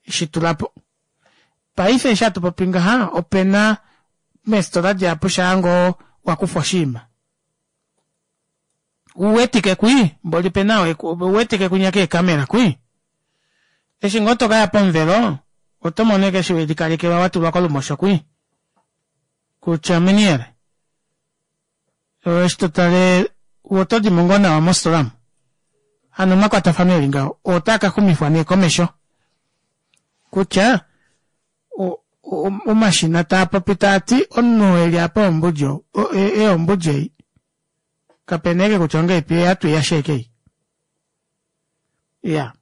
shitulapo paife eshi hatu popi ngaha opena meefitola dihapu shaangoo wakufa oshinima uwetike kwii mboli opena ouwetike kwinya keecamera kwii eshi ngoo tokaya pomuvelo otomono ashike eshi welikalekelwa watulwa kolumosho kwii kutya meneer eshi totale otodimo ngoo nawa mofitola omu hano omakwatafano eli ngaho otaa kaxumifwa nee komesho kutya omashina taapopi taati omunhu eli apa ombudi ou ombudi ei kapena ashike kutya ongahelipi oye ashike ei iyaa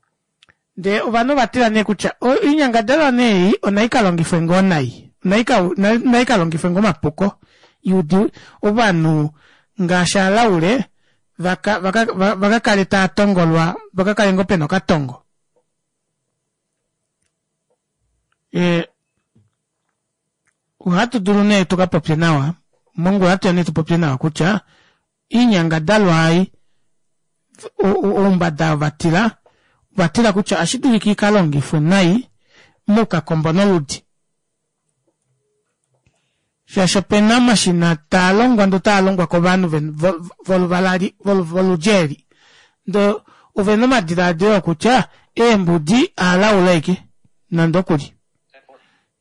ndee ovanhu ovatila nee kutya oinyangadalwa nee ei onaikalongifwe ngoo nai naikalongifwe ngoo mapuko Yudi ovanhu ngaashi alaule vaka vaka vaka kale taa tongolwa vakakale ngoo pena okatongo. Ee ohatu dulu nee tukapopye nawa mongula ohatuya nee tupopye nawa kutya oinyangadalwa ei oumbada oo vatila ovatila kutya ohashidulika ikalongifwe nai moukakombo noludi. Shaashi opena omashina taalongwa ndee otaalongwa kovanhu voluvala eli voludi eli ndee ovena omadilaadilo okutya eembudi ovalaule ashike nande okuli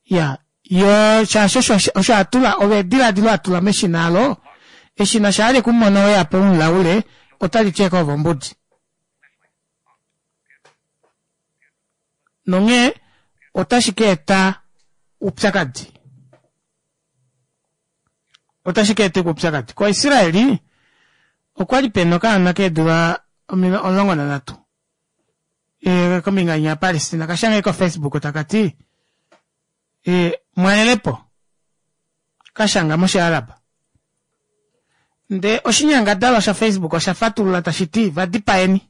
iyaa yoo shaashi osho atula olo edilaadilo atula meshina aalo eshina shaa lekumono weyapo umulaule otaliti ashike ove ombudi. Nonghee otashi kaeta oupyakadi otashi kaeta oupyakadi ko israeli okwali pena okaana keedula omulongo nanhatu kombinga inya ya palestina okashanga ko facebook takati mwalelepo kashanga moshi arab ndee oshinyangadalwa sha facebook osha fatulula tashiti vadipaeni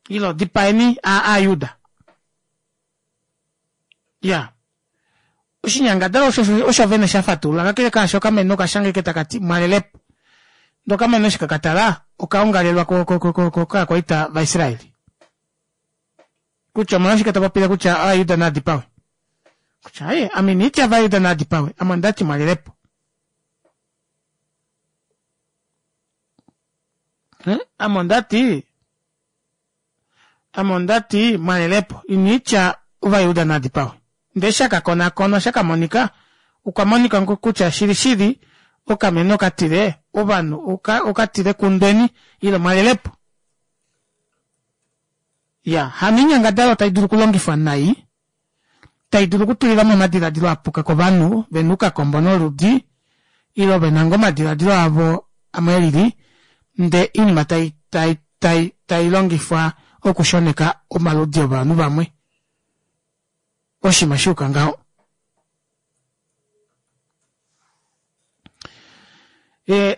ilo dipaeni aajuda iya oshinyangadalwa osho vene shafatulula kakele kaasho okamenhu okashanga ashike takati mwalelepo ndee okamenhu eshi kekatala okaongalelwa kovakwaita vaisraeli kutya omolwashike topopile kutya ovajuda naadipawe kutya aaye ame inanditya ovajuda naadipawe ame ondati mwalelepo ame ondati ame ondati mwalelepo iniitya ovajuda naadipawe ndee eshi akakonakonwa shakamonika okwa monika kutya shili shili okamenhu okatile ovanhu okatile kundweni ile mwalelepo iya hano oinyangadalwa taidulu okulongifwa nai taidulu okutulilamo omadilaadilo apuka kovanhu vena oukakombo noludi ile vena ngoo omadilaadilo avo amwe elili ndee oinima tai tai tailongifwa okushoneka omaludi ovanhu vamwe oshinima shayuka ngaho.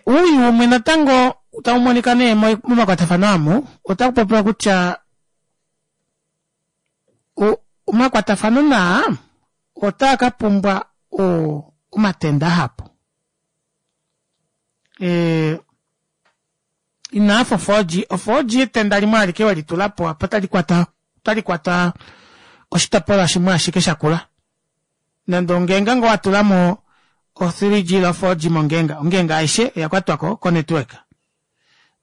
Owii umwe natango taumonika nee momakwatafano amu otakupopiwa kutya omakwatafano naa otaa kapumbwa omatenda ahapu. Inaafa o four G, o four G etenda limwe alike welitulapo apa otalikwata otalikwata oshitopolwa shimwe ashike shakula. Nande ongenga ngoo watulamo o three G ile o four G mongenga, ongenga aishe oyakwatwako ko network.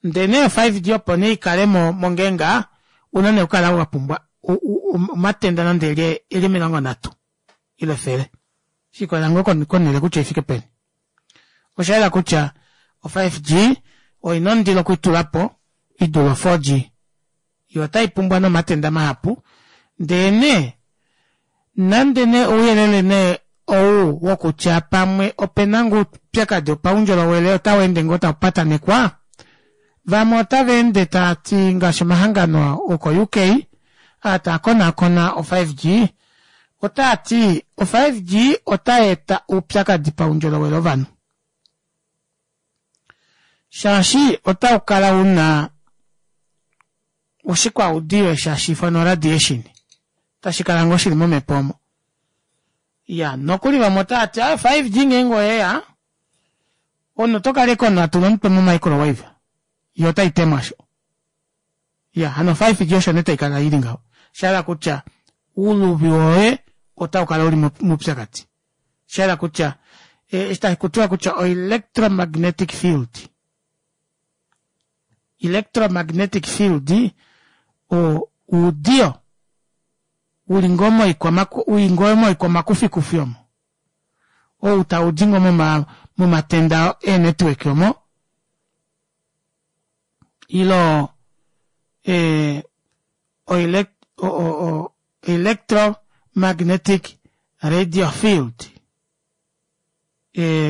Ndee nee o five G opo nee ikale mongenga ouna nee okukala wapumbwa omatenda nande eli omilongo nhatu ile efele shikolela ngoo konele kutya oifike peni. Oshayela kutya o five G oina ondilo okwiitulapo idule o four G yoo otaipumbwa nee omatenda mahapu ndee nee nande nee ouyelele nee ou wokutya pamwe opena ngoo oupyakadi wopaundjolowele otaweende ngoo taupatanekwa vamwe otavaende taati ngaashi omahangano oko U K aa taakonaakona o five G otaati o five G otayeeta oupyakadi paundjolowele wovanhu shaashi otaukala una oshikwaudiyo eshi hashiifanwa radiation tashikala ngoo shili momepo omo. Iya nokuli vamwe otaati aaye five G ngeenge oyeya omunhu otokala ashike omunhu atula omutwe mo microwave yoo otaitemo aasho. Iya hano five G osho nee taikala ili ngaho oshahala kutya ouluvi woye otaukala uli moupyakadi oshahala kutya eshi takutiwa kutya o electromagnetic field electromagnetic field oudiyo uli ngoo moikwamakufikufi omo ou taudi ngoo momatenda ee network omo ilo electromagnetic radio field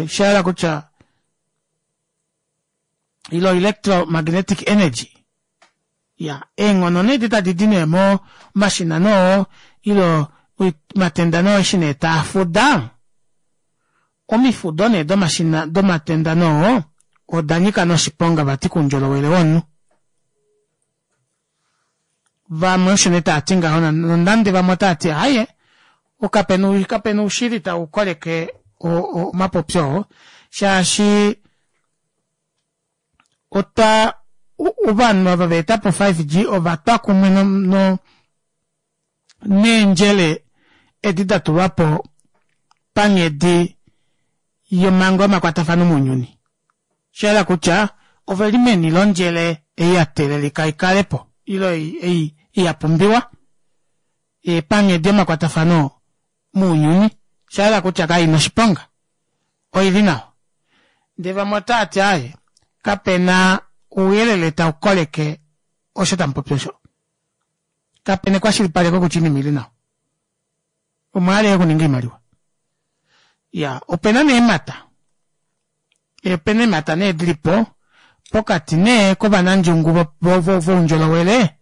oshahala kutya ilo electromagnetic energy iya eenghono nee edi tadidi nee momashina nee oo ile omatenda nee oo eshi nee taafuda Omifudo nee domashina domatenda noo oda nyika noshiponga vati koundjolowele womunhu. Vamwe osho nee taati ngaho nonande vamwe otaati aaye kapena kapena oushili taukoleke omapopyo oo shaashi otwa ovanhu ava vaetapo o five G ovatwa kumwe no neendjele edi datulwapo panghedi yomango yomakwatafano mounyuni. Oshahala kutya oveli meni londjele ei yateelelika ikalepo ile ei yapumbiwa panghedi yomakwatafano mounyuni. Oshahala kutya kaina oshiponga oili nawa. Ndee vamwe otaati aaye kapena ouyelele taukoleke osho tamupopi osho. Kapena ekwashilipaleko kutya oinima oili nawa. Omwahala ashike okuninga oimaliwa. Iyaa opena nee eemata, opena eemata nee dilipo pokati nee kovanandjungu voundjolowele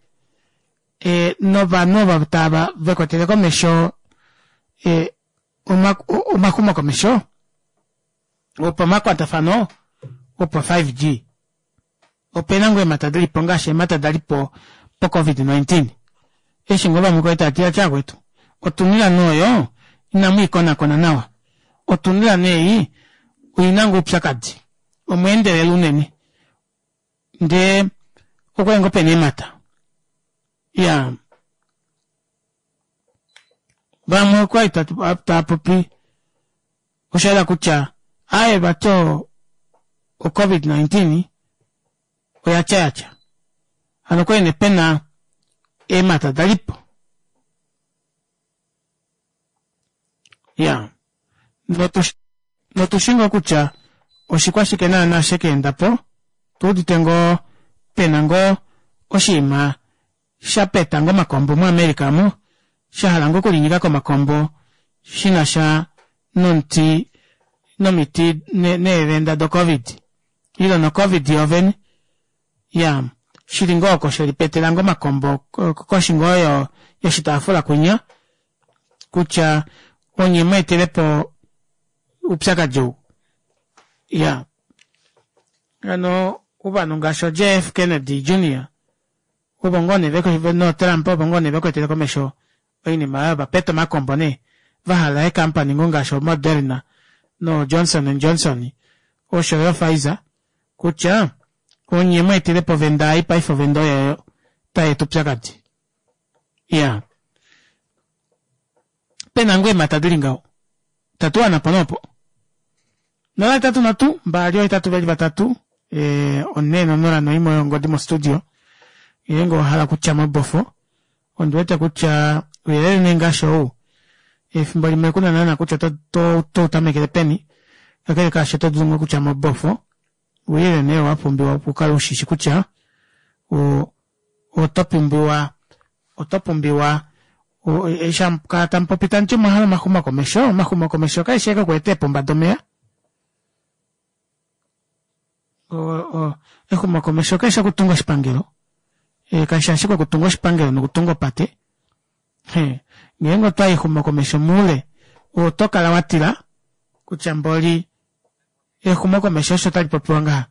novanhu ovo tava vekwetele komesho omaxumokomesho opamakwatafano opo five G. Opena ngoo eemata dilipo ngaashi eemata dalipo po covid nineteen eshi ngoo vamwe kwali taati vakwetu otunila nee oyo inamwiikonakona nawa otunila nee ei oina ngoo oupyakadi omweendelela unene ndee okwali ngoo pena eemata iyaa vamwe okwali taapopi oshayela kutya aaye vati o covid nineteen oyatya yatya hano okwali nee pena eemata dalipo iyaa notushi ngoo kutya oshikwashike naana shekeendapo otuudite ngoo pena ngoo oshiima shapeta ngoo omakombo mo america aamo shahala ngoo okulinyika komakombo shinasha nomuti nomiti neevenda do covid ile no covid yoovene iyaa shili ngoo oko shelipetela ngoo omakombo koshi ngoo yoshitaafula kwinya kutya onye mweetelepo oupyakadi ou iyaa hano ovanhu ngaashi oo J F Kennedy Junior ovo ngoo nee noo Trump ovo ngoo nee vekwetele komesho oinima oyo vapeta omakombo nee vahala eecompany ngoo ngaashi o Moderna no Johnson and Johnson oshoyo Pfizer kutya onye mweetelepo ovenda ei paife ovenda oyo tayeeta oupyakadi iyaa pena ngoo eemata dili ngaho tatuwanapo nee opo nola hetatu nhatu mbali ohetatu veli vatatu onhee nonola noimwe oyo ongodi mo studio ngeenge owahala okutya mobofo ondiwete kutya ouyelele nee ngaashi ou efimbo limwe kuna naana kutya oto utamekele peni kakele kaasho oto dulu ngoo okutya mobofo ouyelele nee wapumbiwa opo ukale ushishi kutya oto pumbiwa oto pumbiwa eshi hamukala tamupopi tamuti omwahala omaxumokomesho omaxumokomesho kaeshi ashike okweeta eepomba domeva exumokomesho kalishi okutunga oshipangelo kaishi ashike okutunga oshipangelo nokutunga opate ngeenge otwayi exumokomesho moule oto kala watila kutya mboli exumokomesho osho talipopiwa ngaha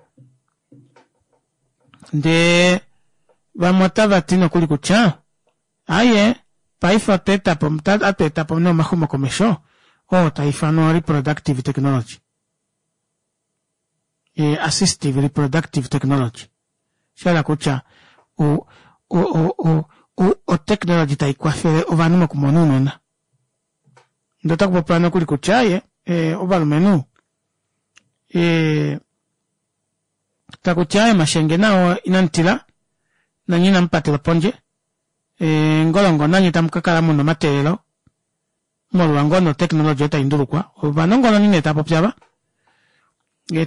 ndee vamwe otavati nokuli kutya aaye paife otwa etapo ohatu etapo nee omaxumokomesho oo taifanwa reproductive technology assistive reproductive technology oshahala kutya o technology taikwafele ovanhu mokumona ounona ndee otakupopiwa nokuli kutya aaye ovalumenhu takuti aaye omashenge nao inamutila nanye inamupatelwa pondje ngolongo nanye tamukakala muna omateelelo molwa ngoo nee otechnology oyo taindulukwa ovanongononi nee taapopi aava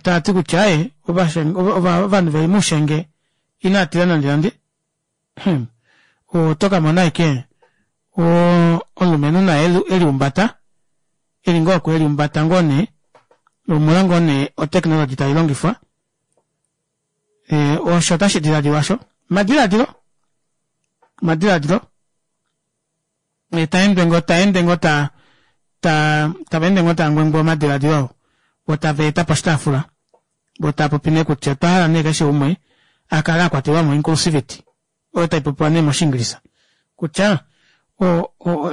taati kutya aaye ovanhu veli moushenge inaatila nande nande otokamona ashike omulumenhu naye eliumbata eli ngoo oko eliumbata ngoo nee omolwa ngoo nee o technology tailongifwa osho otashi dilaadilwa aasho omadilaadilo omadilaadilo taende ngoo taende ngoo ta ta tavaende ngoo taangwengwa omadilaadilo oo Vo tava eta poshitaafula vo tava popi nee kutya otwa hala nee keshe umwe a kale a kwatelwa mo inclusivity oyo taipopiwa nee moshiingilisa kutya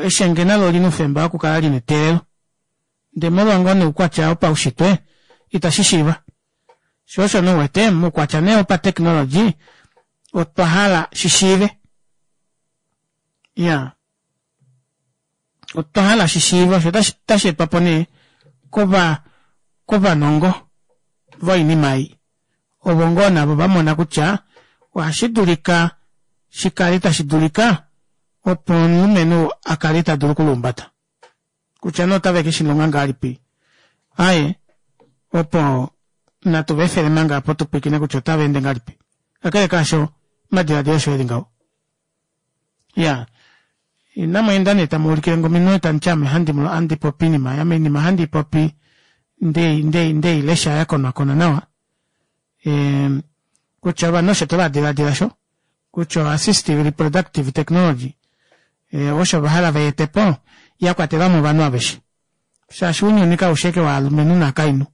eshenge nalo olina oufemba wokukala lina eteelelo ndee molwa ngoo nee oukwatya wopaushitwe ita shishiiva shoo osho nee uwete moukwatya nee wopatechnology otwa hala shishiive iyaa otwa hala shishiive osho otasheetwapo nee kova kovanongo voinima ei ovo ngoo navo vamona kutya ohashidulika shikale tashi dulika opo omulumenhu akale tadulu okuluumbata kutya nee otave keshilonga ngahelipi aaye opo natu vaefele manga opo tupwiikine kutya otavaende ngahelipi kakele kaasho omadilaadilo osho eli ngaho iyaa inamweenda nee tamuulikilenge ominwe tamuti ame ohandi popi oinima ame oinima ohandiipopi ndeilesha yakonakonwa nawa kutya ovanhu osho tavadilaadila osho kutya assistive reproductive technology osho vahala vaetepo yakwatelamo ovanhu aveshe shaashi ounyuni kaufi ashike wovalumenhu novakainhu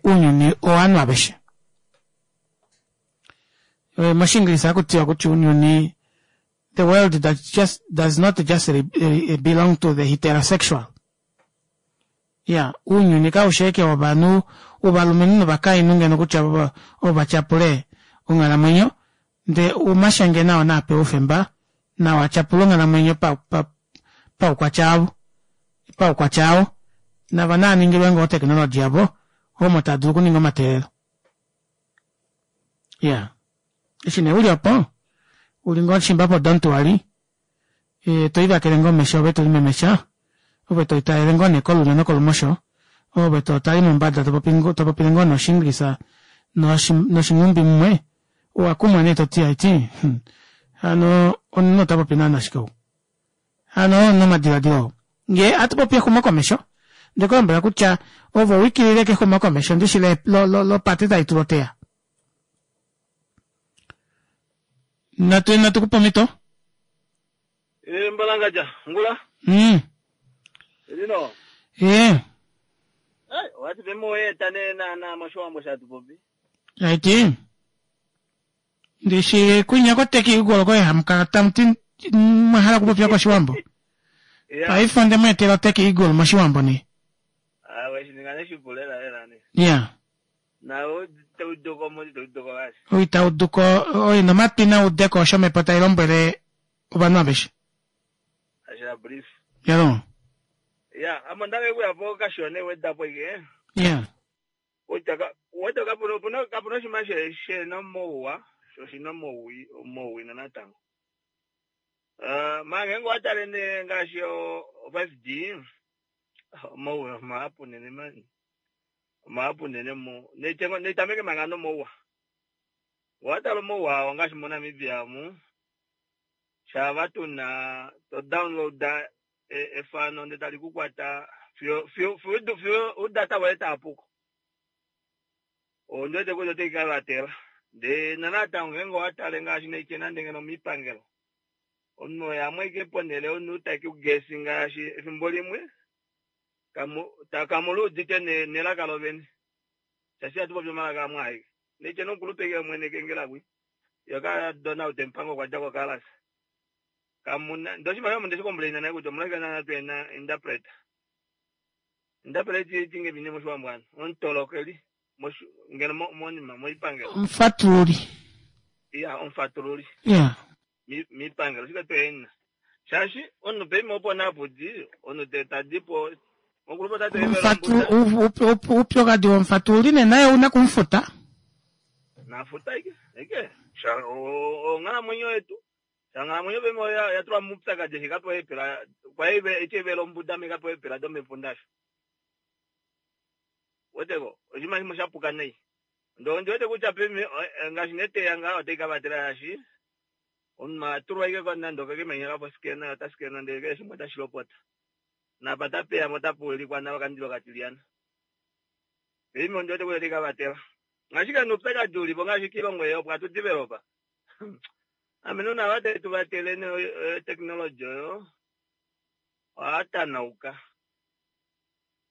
ounyuni owovanhu aveshe moshingilisha ohakutiwa kutya ounyuni the world just does not just belong to the heterosexual iya ounyuni kaufi ashike wovanhu wovalumenhu novakainhu ngeno kutya ovo vatyapule onghalamwenyo ndee omashenge nao naapewe oufemba nao atyapule onghalamwenyo paukwatya wavo paukwatya wao navo naaningilwe ngoo otechnology yavo omo taadulu okuninga omateelelo iyaa eshi nee uli opo uli ngoo shimba po don't worry toivakele ngoo omesho ove tolimemesha ove tolitalele ngoo nee kolulyo nokolumosho ove totale mombada topopile ngoo nee oshiingilisa noshinghumbi mumwe owakumwa nee toti haiti hano omunhu otapopi naana shike ou hano oo omadilaadilo oo ngee hatupopi exumokomesho ondekulombwela kutya ove owikilile kexumokomesho ndishi lopate taitulwa oteya natu natukupa omhito Mbalangadja, ngula. Mm Elino. Ee. Ai, wati vemoeta ne na na moshiwambo shatupopi. Aiti. Ndishi kwinya koteki ugolo koye hamukala tamuti mwahala okupopya koshiwambo. Paife onde mweetela oteki eagle moshiwambo nee. Ah, weshininga neshipu lela lela ne. Yeah. Na utauduko mo itauduko basi. Oitauduko oina omatwi naudeko osho omhepo tai lombwele ovanhu aveshe. Ashira brief. Yalo. Ya, amo ndake kuya po kashone wedapo ike. Yeah. Utaka weta kapuno puno kapuno shima she she no mouwa, sho shino mouwi mouwi na natango. Uh, mange ngo atale ne ngaashi o five G mouwa mahapu nene mani. Mahapu nene mo ne netameke manga no mouwa. Watala mouwa ngaashi mo Namibia mu. Shava tuna to download efano ndee tali kukwata fiyo fiyo fiyo fiyo udata waye taapuko. Ondiwete kutya otai ka vatela ndee nanatango ngeenge owatale ngaashi naike nande ngeno moipangelo omunhu yamwe ashike ponele omunhu takugesi ngaashi efimbo limwe kamuluudite nelaka lovene shaashi hatu popi omalaka amwe aeke naitye nomukulupe ke mwene kengela kwi yoka Donald Mpango okwa dja kokalasa kamuna ndee oshimaliwa omo ndeshicomplaina naye kutya omolwashike naana tuhena interpreter interpreter tinge vine moshiwambo hano omutolokeli ngeno monima moipangelo omufatululi iya omufatululi yeah miipangelo shike tuhena shaashi omunhu peima opo napudi omunhu tadipo upyokadi womufatululi nee naye ouna okumufuta nafuta ike ike onghalamwenyo yetu onghalamwenyo peima yatulwa muupyakadi eshi kapewa eepela kwai eshi evela ombuda ame kapewa eepela domepunda asho weteko oshinima shimwe shapuka nai ndee ondiwete kutya peima ngaashi neteya ngaha otai kavatela shaashi omunhu atulwa ashike nande okekemanya kapo scanner ota scanner ndee keshe shimwe otashi lopota napa tapeyamo otapuulikwa nalo okandilo katilyana peima ondiwete kutya otai kavatela ashike noupyakadi ulipo ngaashi kiilongo ei opo hatu developa ame nuna ava tuvatele technology oyo ohatanauka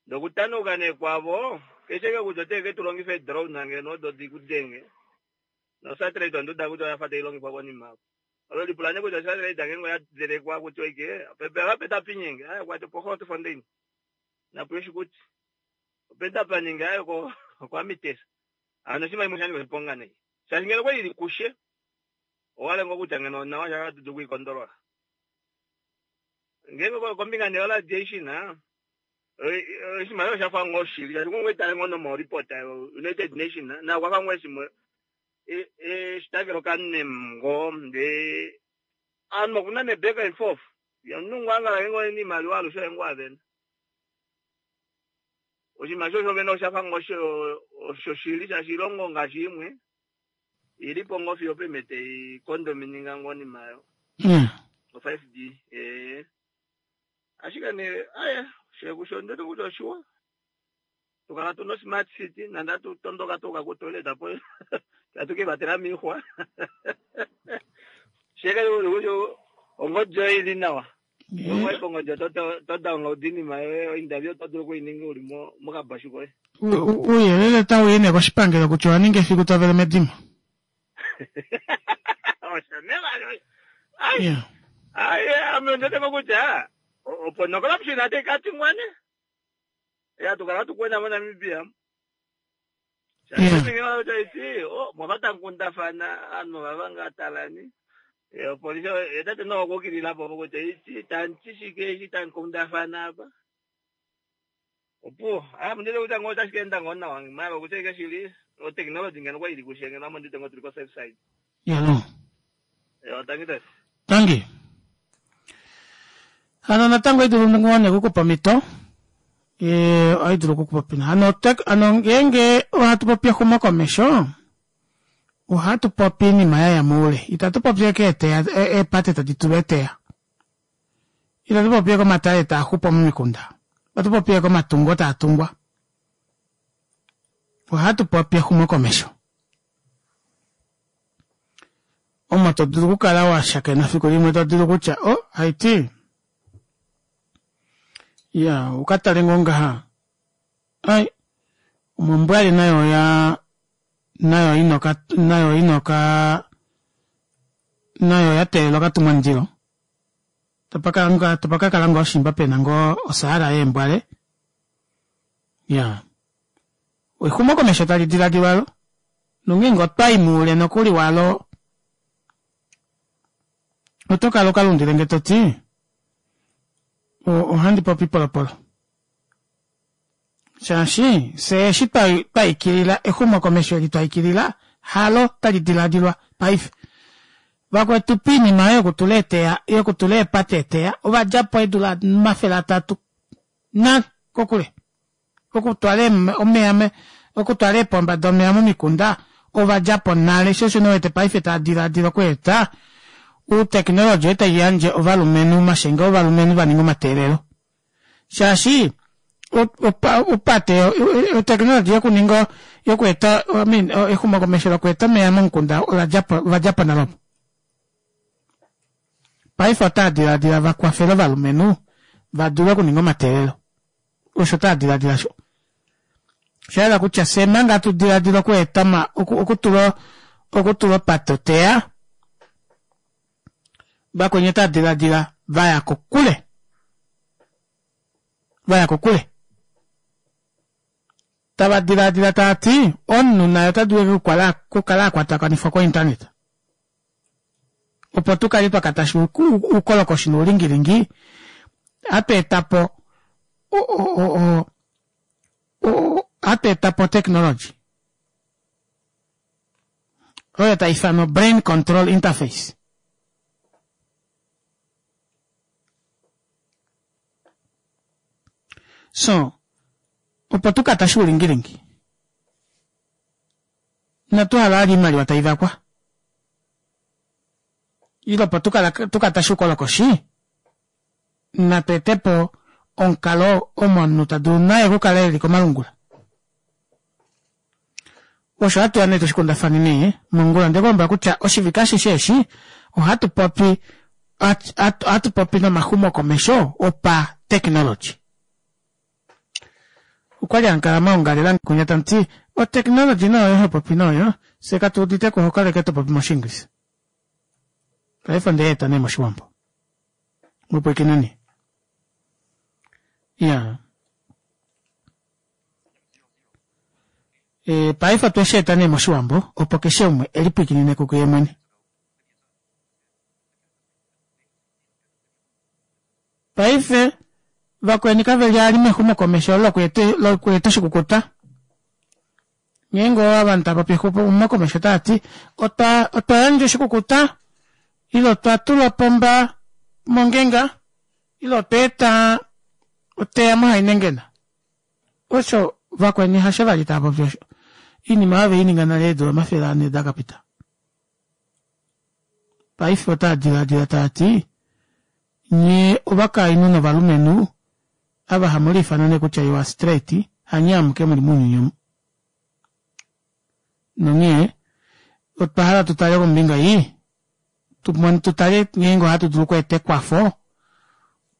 Nokutanuka nee kwavo keshe ke kutya oteke tu longifa edrone ngeno odo dikudenge nosatellite onduda kutya oyafa tailongifwa konima apo olo lipula nee kutya osatellite ngeenge oyadelekwa kutya oike pepe vape tapinyenge aya kwati opo Grootfontein napo Oshikuti ope tapaninge ayo ko okwamitesa hano oshinima shimwe shanika oshiponga nei shaashi ngeno okwali ili kushe owale ngoo kutya ngeno onawa shaka tudu okwiikondolola ngeenge kombinga nee yoradiation oshinima oshafa ngoo shili shaashi ngoo itale ngoo nomoreport United Nation na okwafa ngoo eshimwe eshitakelo kanem ngoo ndee ovanhu okuna ne back and forth omunhu ngoo angala ngeenge ena iimaliwa alushe oye ngoo avena oshinima sho shovene oshafa ngoo oshoshili shaashi oilongo ngaashi imwe ilipo ngoo fiyo opemhe taikondomininga ngoo onima aayo o five G ee ashike nee aye shekusho ondoti kutya oshiwa tukala tuna osmart city nande atu tondoka tuuka kutoilet apo tatu kivatela miixwa sheke kutya ongodi oyo ili nawa ngenge kongodi oto download iinima yoye ointerview oto dulu okuininga uli mokabashu koye ouyelele otauyi nee koshipangelo kutya owa ninga efiku tovele medimo osho nee vali ai ame ondoteko kutya opo nocorruption ate katingwa ne ya tukala tukwena moNamibia shaashi mwava tamukundafana ovanhu vava ngaa talani opolisi otate no okukililapo kutya ichi tanti shike eshi tamukundafana apa opuwo ame ondete kutya ngoo otashi kaenda ngoo nawa mala okutya ike shili otechnology ngeno kwali ili kushe ngeno ame ondite ngoo tuli ko safe side yalo tangi tate tangi hano natango oidulu ngoo nee okukupa omhito ohaidulu okukupa hano hano ngeenge ohatu popi exumokomesho ohatu popi oinima yaya moule itatu popi ashike eeteya eepate tadi tulwa eteya itatu popi ashike omatale taaxupo momikunda ohatu popi ashike omatungo taatungwa ohatu popi exumokomesho omo to dulu okukala washakena fiku limwe to dulu kutya o haiti ya ukatale ngoo ngaha ai omombwali nayo oya nayo inoka nayo inoka nayo oya teelela okatumwamundilo topakakala ngoo shimba pena ngoo osaala yeembwale ya exumokomesho tali diladilwa alo nongeenge otwayi moule nokuli walo oto kala ukalundilenge toti ohandi popi polopolo shaashi fyee eshi twaikilila exumokomesho eli twaikilila halo tali diladilwa paife vakwetu poinima oyo yokutula eeteya yokutula eepate eeteya ovadjapo eedula omafele atatu nale kokule okutwala omeya okutwala eepomba domeva momikunda ovadjapo nale sho osho nee uwete paife tava diladila okweeta outechnology oyo taiyandje ovalumenhu omashenge ovalumenhu vaninge omateelelo shaashi opate otechnology yokuninga yokweeta I mean exumokomesho lokweeta omeva momukunda oladjapo ovadjapo nale opo paife otava diladila vakwafele ovalumenhu vadule okuninga omateelelo osho tava diladila sho osha kutya fyee manga hatu diladila okweeta okutula okutula opate oteya vakweni otava diladila vaya kokule vaya kokule tava diladila taati omunhu naye ota dulu okukala akwatakanifwa ko internet opo tukale twakatasha oukolokoshi noulingilingi ohatu etapo ohatu etapo otechnology oyo taifanwa brain control interface so opo tukatashe oulingilingi inatu hala vali oimaliwa taivakwa ile opo tukatashe oukolokoshi natu etepo omukalo omo omunhu tadulu naye okukala eli komalungula osho hatuya nee tushikundafane nee mongula ondekulombwela kutya oshivike ashishe eshi ohatu popi ohatu popi nomaxumokomesho opa technology. Okwali hankala maongalela kunya tamuti o-technology nayo hopopi nayo fye katu uditeko oho kala ashike topopi moshiingilisa. Paife ondeyeeta nee moshiwambo. Mupwikineni. Iyaa. E, paife otwe shi eta nee moshiwambo opo keshe umwe elipwikinine kuye mwene. Paife vakweni kaveli ali mexumokomesho lokweeta oshikukuta. Ngeenge ovanhu tavapopi exumokomesho otaati otwa otwa yandja oshikukuta ile otwa tula opomba mongenga ile otwa eta oteya mohainengena. Osho vakweni hasho vali taapopi osho. Oinima oyo veininga nale eedula omafele ane dakapita. Paife otaa dilaadila taati nyee ovakainhu novalumenhu ava hamu liifana nee kutya you are straight hanye amuke muli mounyuni omu. Nonghee otwa hala tutale kombinga ei tutale ngeenge ohatu dulu okweeta ekwafo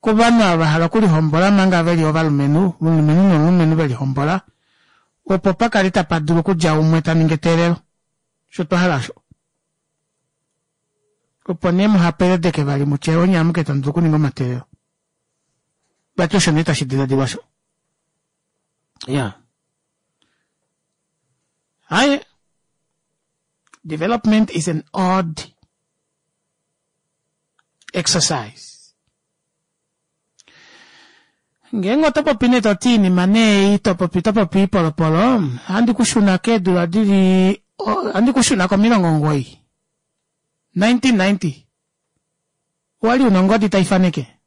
kovanhu ava vahala okulihombola manga veli ovalumenhu, omulumenhu nomulumenhu velihombola opo pakale tapa dulu okudja umwe taningi eteelelo. Osho twahala osho. Opo nee muhapeledeke vali mutye onye amuke tamu dulu okuninga omateelelo. Vati osho nee tashi diladilwa osho. Iyaa. Haye. Development is an odd exercise. Ngeenge oto popi nee toti iinima nee ei topopi topopi oipolopolo ohandi kushuna keedula dili ohandi kushuna komilongo omugoyi nineteen ninety owali una ongodi taifaneke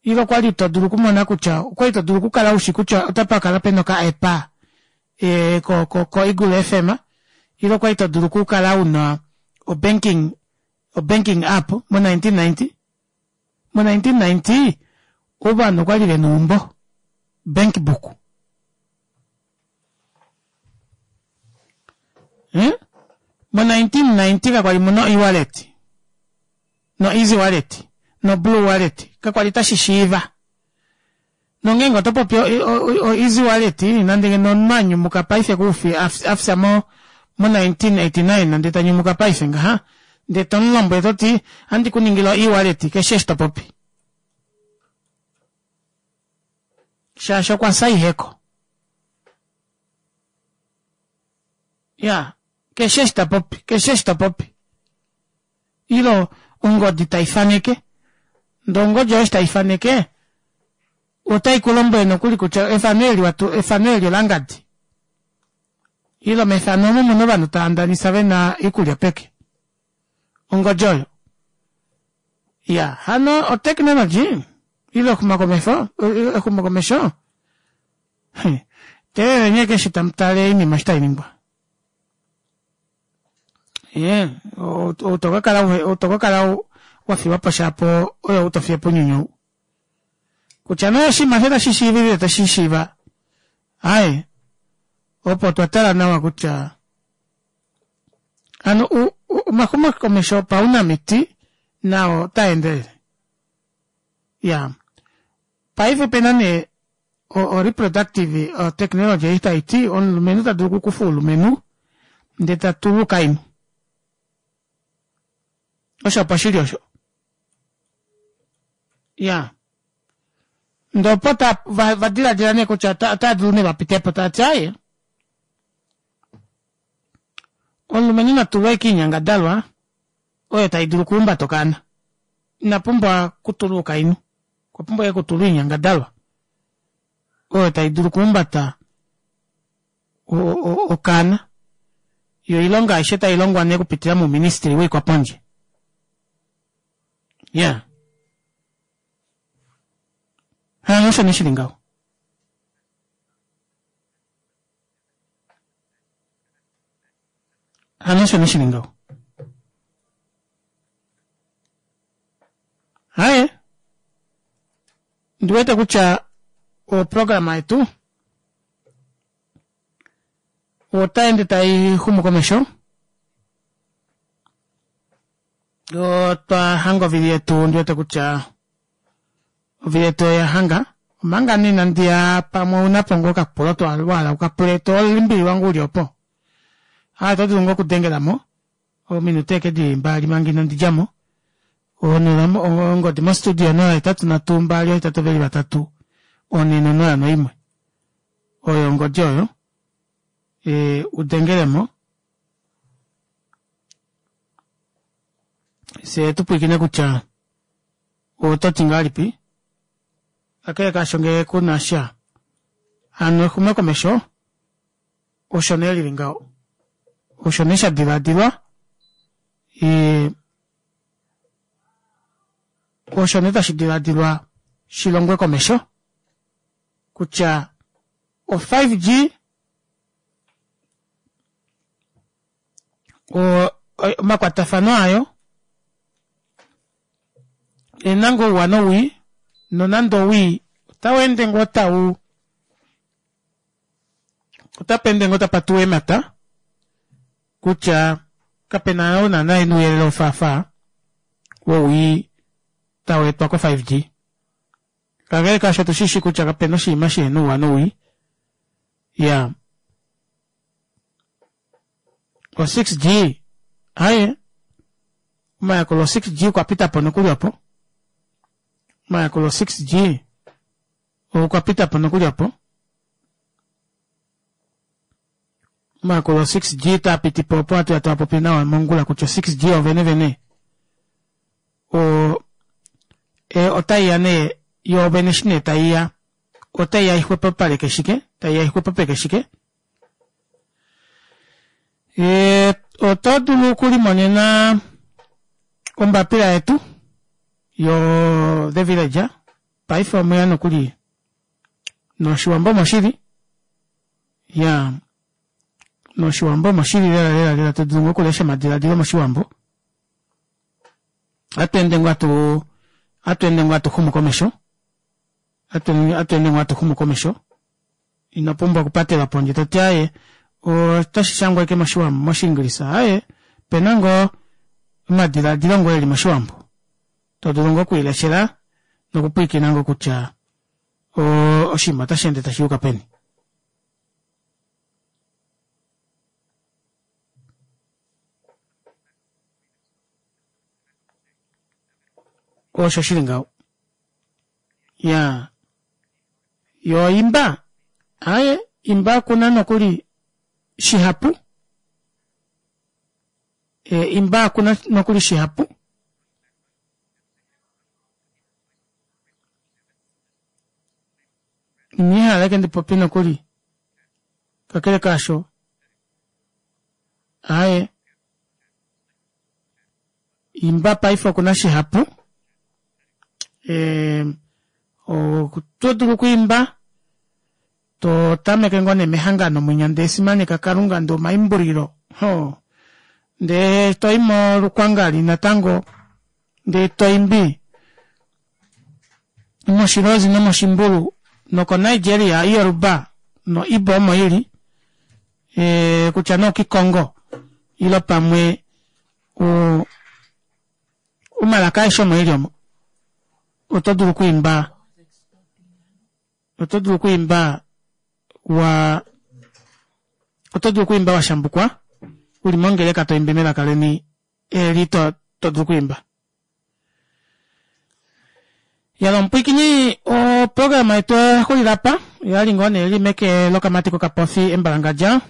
ile okwali todulu okumona kutya okwali todulu okukala ushi kutya otapakala pena oka app e, ko, ko, ko Eagle F M ile okwali todulu okukala una o banking o banking app mo nineteen ninety mo nineteen ninety ovanhu okwali vena oumbo bank book eh? mo nineteen ninety kakwali muna e-wallet no easy wallet no blue wallet kakwali tashi shiiva nongeenge oto popi o easy wallet nande ngeno omunhu anyumuka paife koufi afya mo mo nineteen eighty nine nande tanyumuka paife ngaha ndee tomulombwele toti ohandi kuningile o e-wallet keshe eshi topopi shaashi okwa fya iheko ya keshe eshi tapopi keshe eshi topopi ilo ongodi taifaneke ndee ongodi oyo eshi taifaneke otai kulombwele nokuli kutya efano eli watu efano eli olangadi ilo mefano omu muna ovanhu tava ndanisa vena oikulya peke ongodi oyo ya hano otechnology ile exumokomesho exumokomesho teeleleni ashike eshi tamutale oinima eshi tainingwa ye outokakala outokakala wafiwapo shapo oyo utofiyepo ounyuni ou kutya nee oshinima osho tashi shiiva ile itashi shiiva aaye opo twa tala nawa kutya hano omaxumokomesho opaunamiti nao otaendelele ya paife opena nee o reproductive technology ei taiti omulumenhu tadulu okukufa oulumenhu ndee tatulwa oukainhu osho opo shili osho ya ndee opo vadilaadila nee kutya otaadulu nee vapitepo taati aaye omulumenhu natulwe ashike oinyangadalwa oyo taidulu okuhumbata okaana ina pumbwa okutulwa oukainhu okwa pumbwa ashike okutulwa oinyangadalwa oyo taidulu okuhumbata okaana yo oilonga aishe tailongwa nee okupitila mouministry woikwapondje ya hano osho nee shili ngaho hano osho nee shili ngaho haye ndiwete kutya oprograma yetu otaende taixumu komesho otwa hanga ovili yetu ndiwete kutya ovili yetu oya hanga Omanga nee inandi ya pamwe ouna po ngoo okapulo wahala ukapule tolimbililwa ngoo uli opo. Aa oto dulu ngoo okudengelamo ominute ashike dili mbali manga inandi djamo. Ongodi mo studio onola ohetatu nhatu mbali oohetatu veli vatatu onhe nonola noimwe oyo ongodi oyo udengelemo fyee tupwiikine kutya ototi ngahelipi kakele kaasho ngee kunasha hano exumokomesho osho nee lili ngaho osho nee shadilaadilwa osho nee tashi dilaadilwa shilongwe komesho kutya o five G omakwatafano ayo ena ngoo ouwa nowii nonande owii otaweende ngoo tau otapa ende ngoo tapa tuwa eemata kutya kapena oo naana ena ouyelele wofaafaa wowii taweetwa ko five G. Kakele kaasho otushishi kutya kapena oshinima shihena ouwa nowii. Iyaa o six G aaye omayakulo o six G okwa pitapo nokuli opo omayakulo o six G okwa pitapo nokuli opo omayakulo o six G taapitipo opo hatuya twaapopi nawa mongula kutya o six G ovene vene o otaiya nee yoovene eshi nee taiya otaiya ixwepopaleke shike taiya ixwepopeke shike oto dulu okulimonena ombapila yetu yo the village paife omweya nokuli noshiwambo omoshili ya noshiwambo omoshili lela lela lela to dulu okulesha omadiladilo moshiwambo ohatu ende ngoo hatu ohatu ende ngoo hatu xumu komesho ohatu ende ngoo hatu xumu komesho ino pumbwa okupatelwa pondje toti aaye otashi shangwa ashike moshiingilisa aaye opena ngoo omadilaadilo ngoo eli moshiwambo todulu ngoo okwiileshela nokupwiikina ngoo kutya oshinima ota sheende tashiyuka peni. Osho shili ngaho iyaa yoo imba aaye imba okuna nokuli shihapu imba okuna nokuli shihapu Indihala ashike ndipopye nokuli kakele kaasho aaye imba paife okuna shihapu oto dulu okwiimba to tameke ngoo nee mehangano mwinya ndee simaneka kalunga ndee omaimbulilo hoo ndee toyi molukwangali natango ndee toimbi moshilozi nomoshimbulu noko Nigeria Yoruba no Igbo omo ili kutya nee okikongo ile pamwe omalaka aeshe omo eli omo oto dulu okwiimba oto dulu okwiimba wa oto dulu okwiimba washambukwa uli mongeleka toimbi melaka leni eli to dulu okwiimba. Yalo omupwiikini oprograma yetu oyaxulila apa oyali ngoo nee ili meke lokamati kokapofi embalangadja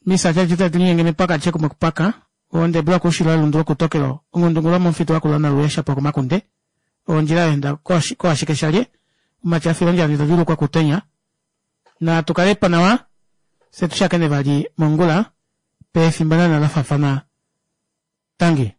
misa tali mepaka alishe kumwe kupaka ondebula koushilo welundu lokutokelo ongundungulu yomomufitu wakula naluya shapwa komakunde ondjila yaenda koashike shalye omatya afila ondjala ndele kutenya natu kalepo nawa fye tushakene vali mongula pefimbo naana lafafana tangi.